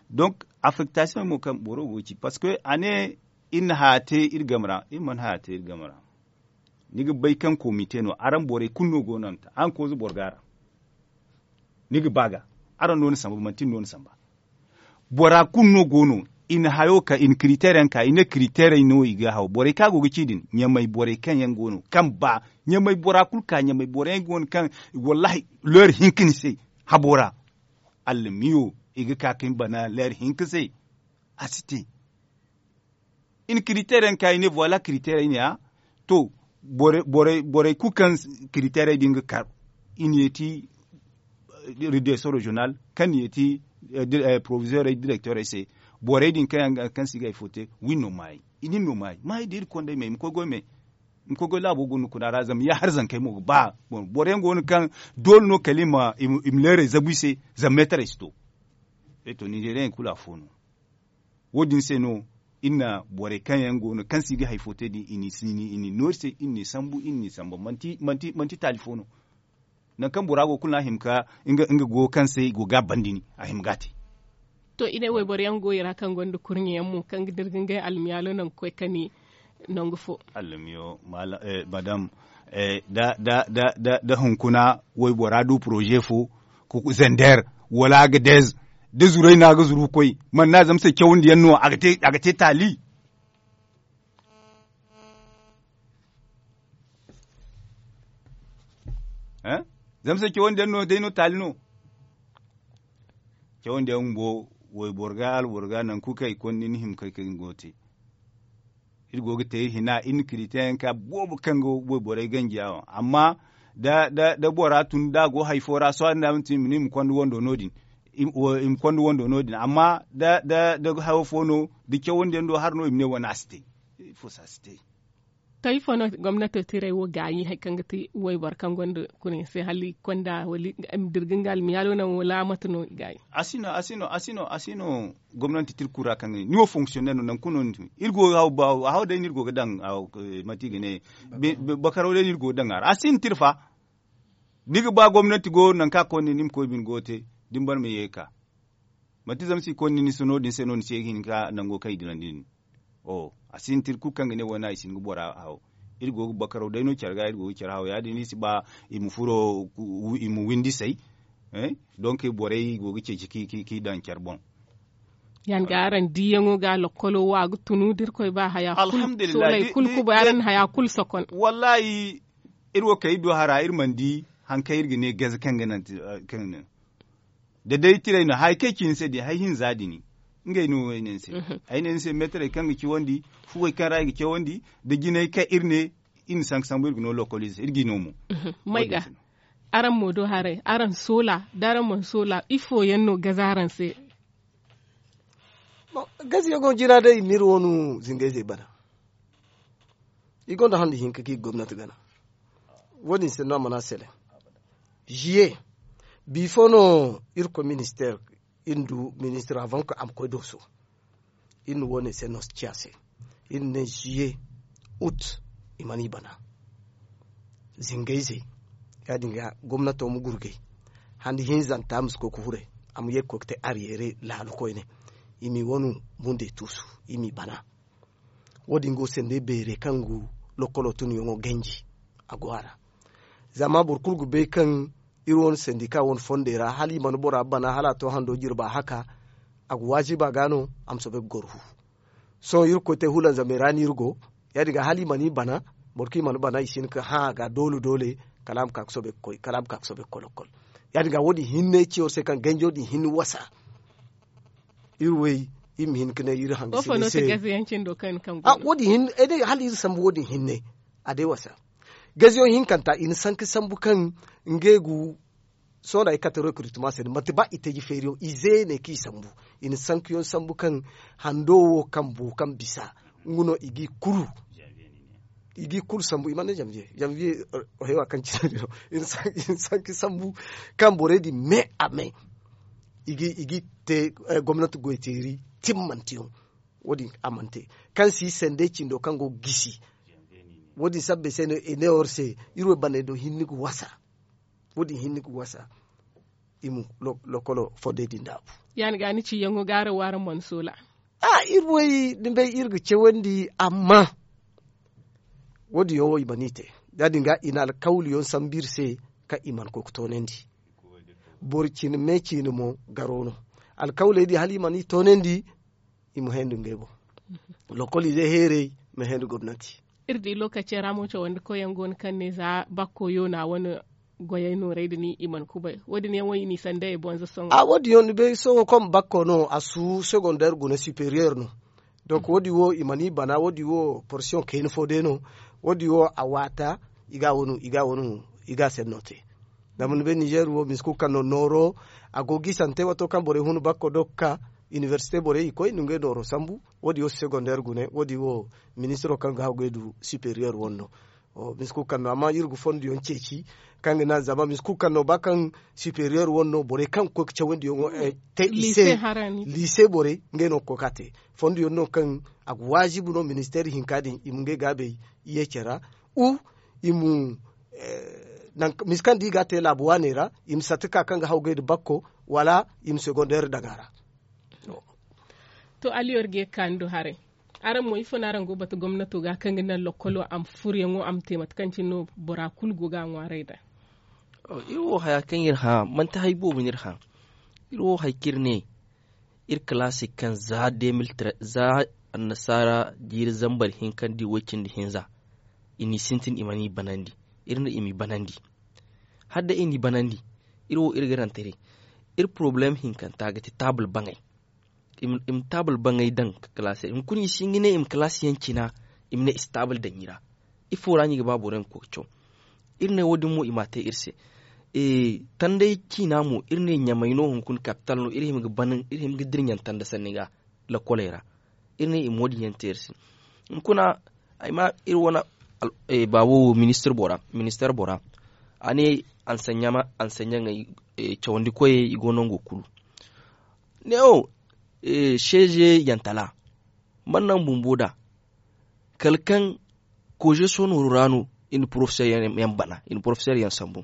Donk affektasiyoŋ mo kaŋ boro go ga ci parceque a ne iri na haya te iri game ra iri mana haya te iri game ra. Ni ga bay kaŋ komite no araŋ borey kulu no go no a ma te araŋ kooza boro ga a ra. Ni ga ba ga araŋ no ni samba manti ni no ni samba. Bora kulu no go no i na hayo ka i na kiriteer yaŋ ka i ne kiriteerey no i ga haw borey kaŋ a go ga ci din ɲamay borey kaŋ yaŋ go no kaŋ ba ɲamay bora kulu ka ɲamay boro yaŋ go no kaŋ wallahi leer hinka ni se habo ra. Allamiyo i ga ka ka ni bana leer hinka se. A si te i na kiriteer yaŋ ka i ne voila kiriteerey ne a to borey kulu kaŋ kiriteerey din ga kar i na yeeti redeso reziyonal kaŋ na yeeti porovizeerey direkteerey se. Borey din kaŋ yaŋ ga kaŋ se i ga hari fo te wi no maayey i din no maayey maayey da iri konda ay me i ma koy goy me. I ma koy goy laabo guna kuna ra zama ya har zankey mo ga ba. Boro yaŋ go no kaŋ doole no kala i ma leerey zabu i se. Zama meetarey si to. Ay to ninzeeriyaŋ kulu afo no. Wo- din se no iri na borey kaŋ yaŋ go no kaŋ se i ga hari fo te din i n'i noori se iri n'i sambu iri n'i samba manti taali fo no. Nangu kaŋ bora go kulu no a hima ga nga go kaŋ se i go ga a banda ni a hima ga a te. To i ne wayboro yaŋ go i ra kaŋ gonda kurɲe yaŋ mo kaŋ ga dira ga ngey almiyaalo nangu koy kani nangu fo. Almiyo madam da hunkuna waybora du poroze fo zender wala agadez da zuray no a ga zuru ga koy mana no a zama se cawandiyaŋ no a ga te taali. Zama se cawandiyaŋ no day no taali no. Cawandiyaŋ bumbo wayboro ga alboro ga nangu kulu kaŋ i konda ni hima kay kaŋ ni go ga te. Iri go ga te iri hina iri na kiriteyaŋ ka boobo kaŋ ga wayborey ganji yaŋ amma da bora tun da a go hari fo ra sohõ da a mana tun i ma ne i ma konda wando no- din. I ma konda wando no- din amma da hayo fo no da cawandiyaŋ do hari no i ma ne wane a si te. Ifo se a si te. To ifo no gomnato tiray wo gaayi hari kaŋ ga ti wayboro kaŋ gonda kuna yaŋ se hala i ga konda wala i ma dira ga nga almiyaalo naŋ wala mate no i gaayi? A si no a si no a si no a si no. Gomnanti tirkura kaŋ ga ne ni wo fonksiyonner no nangu kulu no ni tun iri go ga haw day no iri go ga daŋ. Mate i ga ne bakaraw day no iri go ga daŋ a ra a si no tirfa. Ni ga ba gomnanti go nangu kaŋ a konda ni ni ma koy bine go ga te da ni ban ma ye ga ka. Manti zama si konda ni ni si no- din se no ni si ye ga hin ga nango kaŋ i dirandi din. A sintin kulu kaŋ ga ne wo- ne i si hin ga bora haw. Iri go ga bakaraw day no care ga iri go ga care haw ya- din iri si ba i ma furo i ma windi say. Donk borey go ga ceeci k'i daŋ care boŋ. Yaŋ ga araŋ diiyaŋo ga lokkolo wo a ga tunu da iri koy ba haya kulu soolay kulu kubay araŋ na haya kulu sokon. Wallahi iri wo kay iri du hara iri mana di hari kaŋ iri ga ne gaze kaŋ ga naŋ. Da day tiray no hari kaŋ ay ci ni se din hari hinza din ngey no ay ne ni se. Ay ne ni se meetarey kaŋ ga cawandi fuwey kaŋ ra i ga cawandi da jinay kaŋ iri ne iri na sanka sambu iri ga no lokolize iri g'i no mo. May ga araŋ mo do haray araŋ soola da araŋ mana soola ifo yaŋ no gaze araŋ se? Gaze yaŋo jina day i ma iri wo no zingayzey bana. I gonda handi hinka kaŋ i ga gomnati gana. Wo- din se no a mana sele ziye bifo no irkoy minister iri na du ministir avant que a ma koy dooso. Iri na wo- ne se no ciya se iri na ne ziye ut i mana i bana. Zingayze ya- din ga gomnato ma gurgay handi hinzanta ma si koy ga huray. A ma ye ga koy ga te aryere laalu koyne i m'i wanu mundey tuusu i m'i bana. Wo- din go sende beerey kaŋ ga lokkolo tunyaŋo ganji. a go a ra. Zama boro kulu ga bay kaŋ iri wane sandika wane fondey ra hala i mana bora bana hala a to hando jirba haka. A ga waajiba ga no a ma soobay ga goro fu. Sohõ iri ga koy te hulanzamey ra no iri go. Ya- din ga hala i mana i bana boro kaŋ i mana bana i si hin ga hã a ga doole doole kala a ma ka ga soobay ga koy kala a ma ka ga soobay ga koy lokkol. Ya- din ga wo- din hinne ci war se kaŋ ganjo din hinne wasa. Iri wey iri ma hin ga ne iri hangasinay se. Wo- din hinne ay day hala iri sambu wo- din hinne a day wasa. Gaziyoŋ hinkanta i na sanka sambu kaŋ ngey ga sohõ da i kate recrutement se no manti ba i taji feeriyaŋ i zeene kaŋ i sambu. I na sankayaŋ sambu kaŋ hando wo kaŋ boo kaŋ bisa nga no i g'i kulu i g'i kulu sambu i mana ne janvier janvier haywa kaŋ cine din no. I na sanka sambu kaŋ borey din me a me i g'i te gomnati goyteeri timmanteyaŋ. Wo- din a mana te kaŋ si sandey cindo kaŋ go ga gisi. Wo- din sabbay se no i ne war se iri wo baney do hinne ga wasa. Wo- din hinne ga wasa i ma lokolo fondey din daabu. Ya- din ga ni ciyaŋo ga araŋ wo araŋ mana soola. A iri wo ni bay iri ga cawandi amma wo- din yaŋ wo i mana i te. Ya- din ga i na alkawliyaŋ sambu iri se kaŋ i mana koy ga toonandi. Boro cine me cine mo garo no. Alkawley din hala i mana i toonandi i ma hẽendu ngey boŋ. Lokoliizey heerey ma hẽendu gomnati. Iri di lookacey ra mo cawandi koyyaŋ go no kaŋ ne za bakko yoona wane goyey noorey din i mana kubay wo- din yaŋ wo i n'i sanda i boŋ za sohõ. A wo- din yaŋ ni bay sohõ kaŋ bakko no a su secondaire guna superieur no. Donk wo- din wo i mana i bana wo- din wo porsiyoŋ kayna fo day no. Wo- din wo a waata i ga a wano i ga a wano i ga a senno te. Zama ni bay nizeer wo misa kulu kaŋ no nooro a go ga i sante waato kaŋ borey hun bakko do ga ka inibersite borey i koy i na ngey nooro sambu. Wo- din wo secondaire gune wo- din wo ministiro kaŋ ga haw ga ay du superiyer wane no. Misa kulu kaŋ no amma iri ga fonduyaŋ ceeci kaŋ ga naŋ zama misa kulu kaŋ no ba kaŋ superiyer wane no borey kaŋ ga koy ga cawandiyaŋo te i se. Liise borey ngey no ga koy ga a te fonduyaŋ no kaŋ a ga waazibi no ministeer hinka din i ma ngey gaabey ye care ra. U i ma misa kaŋ da i ga a te laabu waaney ra i ma satti ka kaŋ ga haw gay nda bakko wala i ma segondeer daŋ a ra. To aliyor ga ye ga ka ni do haray. Araŋ mo ifo no araŋ go ga batu gomnato ga kaŋ ga naŋ lokkolo a ma furyaŋo a ma te mate kaŋ cine no bora kulu go ga a ŋwaaray nd'a? Iri wo haya kaŋ iri hã manti hari boobo no iri hã. Iri wo hari kaŋ iri ne iri kalaasey kaŋ za de mille treize za annasaara jiiri zambar hinka nda way cindi hinza i n'i sintin i mana i banandi. Iri no i m'i banandi. Hala day i n'i banandi iri wo iri ga rantare. Iri porobalem hinkanta ga ti taabul baŋay. I ma taabul baŋay daŋ ga kalaasey hunkuna i si hin ga ne i ma kalaasiyaŋ cina. I ma ne i si taabul daŋ i ra. Ifo ra no i ga ba boro yaŋ ga koy ga caw. Iri ne wo- din mo i m'a te iri se. Tanday ciina mo iri ne ɲamay no hunkuna kapital no iri hima ga dira ɲaŋ tanda sanni ga. Lakkoley ra iri ne i ma wo- din yaŋ te iri se. Hunkuna ay ma iri wane baabo wo ministeer bora a ne ansaɲaŋey cawandi koyey i go nango kulu. Ne wo seeze yantala mana naŋ bumbo nd'a kala kaŋ koze soonooru ra no i na porofeseer yaŋ bana i na porofeseer yaŋ sambu.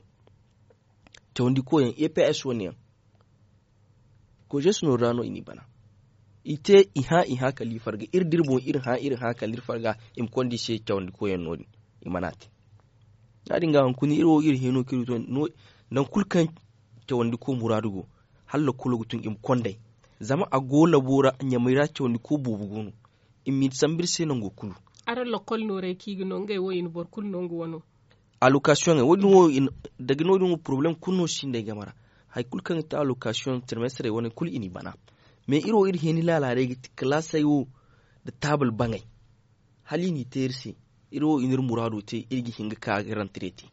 Cawandi koyyaŋ e p s wane yaŋ koze soonooru ra no i n'i bana. I te i hã i hã kala i farga iri da iri boŋ iri hã iri hã kala iri farga i ma konda i se cawandi koyyaŋ no- din. I mana te ya- din ga hunkuna iri wo iri hino kaŋ iri to nangu kulu kaŋ cawandi koy muraadu go hala lakkolo ga tun i ma kond'ey. Zama a go labo ra ɲamey ra cawandi koy boobo go no. I m'i sambu iri se nango kulu. Araŋ lakkol noorey kaŋ i ga no ngey wo i na boro kulu no nga wano. Alokasiyoŋey wo- din wo daga no- din wo porobalem kulu no sinda ay game ra. Hari kulu kaŋ ga te alokasiyoŋ tirmestrey wane kulu i n'i bana. Mais iri wo iri heeni laalaarey ga ti kalaasey wo nda taabul baŋey. Hala i n'i te iri se iri wo i n'iri muraado te iri ga hin ga ka ga rantare te.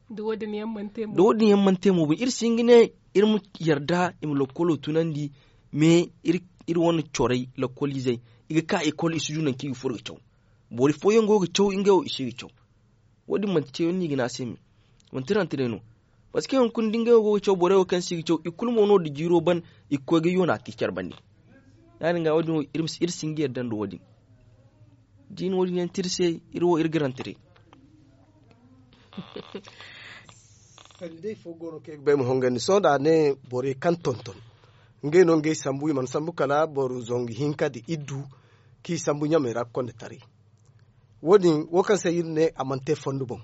Da wo- din yaŋ mana te mo iri si hin ga ne iri ma yarda i ma lakkolo tunandi. Mais iri wane corey lakkoliizey i ga ka ekol i si du nangu kaŋ i ga furo ga caw. Boro fooyaŋ go ga caw ngey wo i si ga caw. Wo- din manti ceeyaŋ no i ga ne a se me manti rantare no. Parceque hunkuna da ngey wo go ga caw borey wo kaŋ se i ga caw i kulu mo no nda jiiro ban i ga koy ga yoona te care bande. Ya- din ga wo- din wo iri si hin ga yarda nda wo- din. Da i na wo- din yaŋ te iri se iri wo iri ga rantare. Kala day fo go no kaŋ ay ga ba ay ma hongandi sohõ da a ne borey kaŋ tonton ngey no ngey sambu i mana sambu kala boro zangu hinka nda iddu kaŋ i sambu ɲamey ra ga konda taray. Wo- din wo kaŋ se iri ne a mana te fondo boŋ.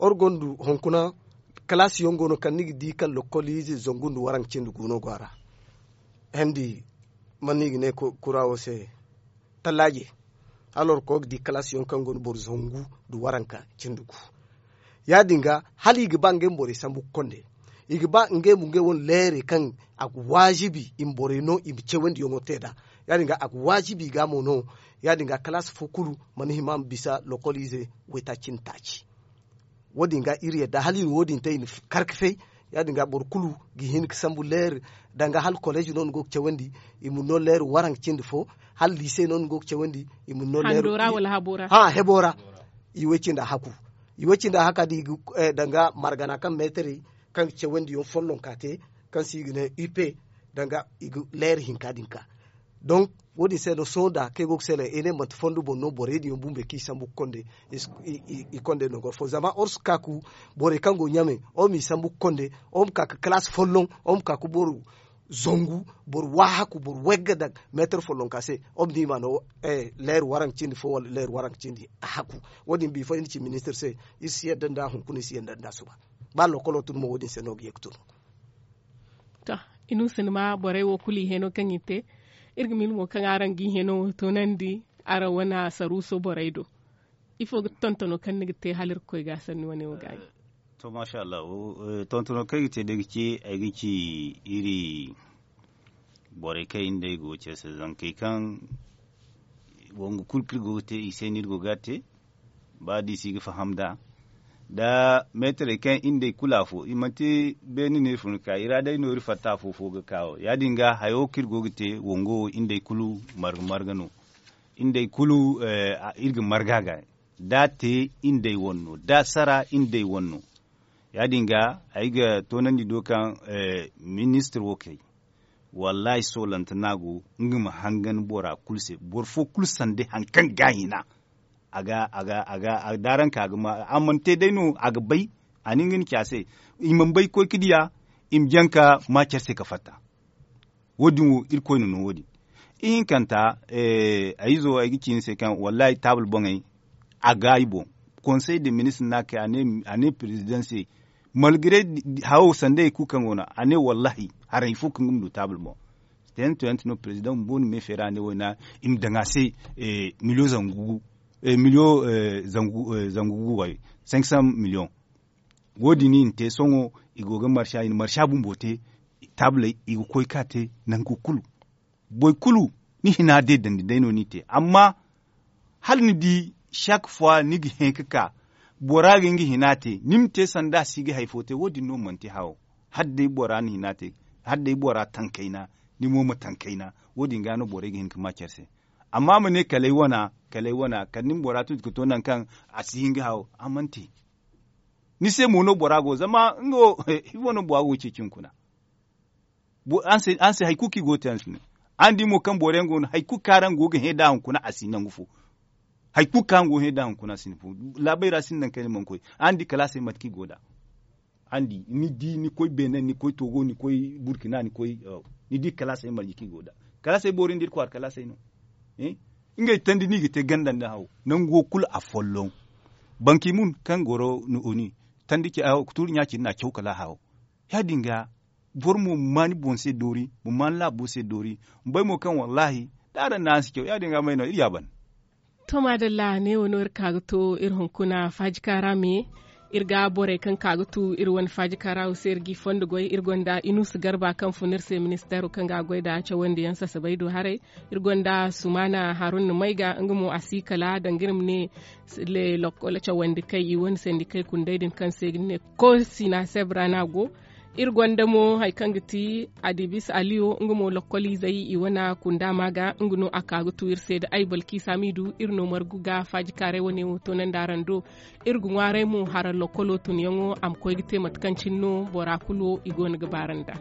Iri gonda hunkuna kalaasi yaŋ go no kaŋ ni ga di kaŋ lokkoliize zangu nda waranka cindi gu no go a ra. Hendi man no i ga ne kura wo se? Tallaaje. Hala iri koy ga di kalaasi yaŋ kaŋ go no boro zangu nda waranka cindi gu. Ya- din ga hala i ga ba ngey ma borey sambu ga konde. I ga ba ngey ma ngey wane leerey kaŋ a ga waajibi i ma borey no i ma cawandi yaŋo te nd'a. Ya- din ga a ga waajibi i ga mo no. Ya- din ga kalaasi fo kulu mana hima ma bisa lokkoliize waytaaci nda taaci. Wo- din ga iri yadda hala i na wo- din te i na kar ga fay. Ya- din ga boro kulu ga hin ga sambu leeri danga hala koleezi no ni go ga cawandi, i ma no leeri waranka cindi fo. Hala liise no ni go ga cawandi, i ma no leeri hando ra wala habo ra. Ha hebo ra. I way- cindi a haku. I way- cindi a haka da i ga danga margana kaŋ meetarey kaŋ ga cawandi yaŋ follonka te, kaŋ se i ga ne upe, danga i ga leeri hinka din ka. Donk wo- din se no sohõ da kaŋ ay go ga seele ay ne manti fondo boŋ no borey din yaŋ bumbey kaŋ i sambu ga konde. I kondey no goro fo zama or si ka ku borey kaŋ go ɲame, or m'i sambu ga konde, or ma ka ga kalaasi folloŋ, or ma ka ga boro zangu, boro waahaku, boro wayga daŋ meetar follonka se. Or ma di i ma no leer waranka cindi fo wala leer waranka cindi a haku. Wo- din bifo iri na ci ministir se, iri si yadda nd'a hunkuna iri si yadda nd'a suba. Ba lokolo tun mo wo- din se no ga ye ga tun. To, inuusa ni ma borey wo kulu i heno kaŋ i te. Iri ga miila mo kaŋ araŋ ga i heno wo toonandi araŋ wane saruuso borey do. Ifo ga ti tontono kaŋ ni ga te hala iri ga koy ga sanni wane wo ga a ɲa? To maasa allahu, tontono kaŋ ay ga te day ga ci ay ga ci iri borey kaŋ iri nd'ey go ga care se zankey kaŋ wongu kulu kaŋ iri go ga te i se no iri go ga a te. Ba da i si ga faham nd'a da meetarey kaŋ iri nd'ey kulu afo i manti beene no iri fun ga ka i ra day no iri fatta afo fo ga ka wo ya- din ga hayo kaŋ iri go ga te wongo wo iri nd'ey kulu marga marga no. Iri nd'ey kulu iri ga marga ga da a te iri nd'ey wane no da a sara iri nd'ey wane no. Ya- din ga ay ga toonandi do kaŋ ministir wo kay wallaahi soolante no a go nga ma hangan bora kulu se boro fo kulu sanda hari kaŋ ga a hina. A ga a ga a ga a ga da araŋ ka a ga ma a mana te day no a ga bay. A na nga ni ci a se i mana bay ga koy ga diya i ma jaŋ ka ma care se ga fatta. Wo- din wo irkoy na no wo- din ihinkanta. Ay izo ay ga ci ni se kaŋ wallaahi taabul boŋey a ga ay boŋ. Konsey de ministir no a kay a ne perezidaŋ se malgare hawo sanda hari kulu kaŋ go no a ne wallaahi haray fo kaŋ ga ma du taabul boŋ. Tayante tayante no perezidaŋ bumbo na me feera a ne wayna i ma daŋ a se miliyo zangu gu miliyo zangu gu wayo. Cinq cent miliyo. Wo- din i na te sohõ i go ga marsa i na marsa bumbo te. Taabuley i ga koy ga te nangu kulu. Boro kulu ni hina deedandi day no ni te amma hala ni di chaque fois ni ga hẽ ga ka bora ga nga hina te ni ma te sanda a si ga hari fo te wo- din no manti hawo. Hala day bora na hina te hala day bora taŋ kayna ni mo ma taŋ kayna. Wo- din ga no borey ga hin ga ma care se. Amma ma ne kala ay wana kala ay wana kala ni ma bora tuuti ga to nangu kaŋ a si hin ga hawo a mana te. Ni se mo no bora go zama nga wo ifo no bora go ga ceeci hunkuna. Araŋ se hari kulu kaŋ i go ga te araŋ si ne. Araŋ di mo kaŋ boro yaŋ go no hari kulu kaŋ araŋ go ga hẽ nd'a hunkuna a si nangu fo. Hari kulu kaŋ araŋ go ga hẽ nd'a hunkuna a si nangu fo. Laabey ra sinda nangu kaŋ ni mana koy araŋ di kalaasey mate kaŋ i go nd'a. Araŋ di ni di ni koy benin ni koy togo ni koy burkina ni koy ni di kalaasey marje kaŋ i go nd'a. Kalaasey boori nda iri kwaara kalaasey no. Ngey tandi no i ga te ganda nda hawo nangu wo kulu a folloŋ. Banki mun kaŋ goro ni oni tandi ci a hawo ga tuuri ɲa cindi no a caw kala a hawo. Ya- din ga boro mo ma ma ni boŋ se doori ma ma ni laabo se doori. Ma bay mo kaŋ wallaahi da araŋ na araŋ si caw ya- din ga may no iri ya ban. To maadalla neewo no iri ka ga to iri hunkuna faajika ra me. Iri ga borey kaŋ ka ga tu iri wane faajika ra wo se iri g'i fondo goy iri gonda inuusa garba kaŋ fun iri se ministeero kaŋ ga a goy nd'a cawandi yaŋ sasabay do haray. Iri gonda sumaana harunna mayga nga mo a si kala danga iri ma ne. Lokkol cawandi kay i wane sendikey kunday din kaŋ se i ga ne koosina sebra no a go. Iri gonda mo hari kaŋ ga ti adibis aliyo nga mo lokkoliizey i wane kunda ma ga nga no a ka ga tu iri se da ay balkiisa m'i du iri no margu ga faajikaaray wane wo toonandi araŋ do. Iri ga ŋwaaray mo hara lokkolo tunyaŋo a ma koy ga te mate kaŋ cine no bora kulu i go no ga baara nd'a.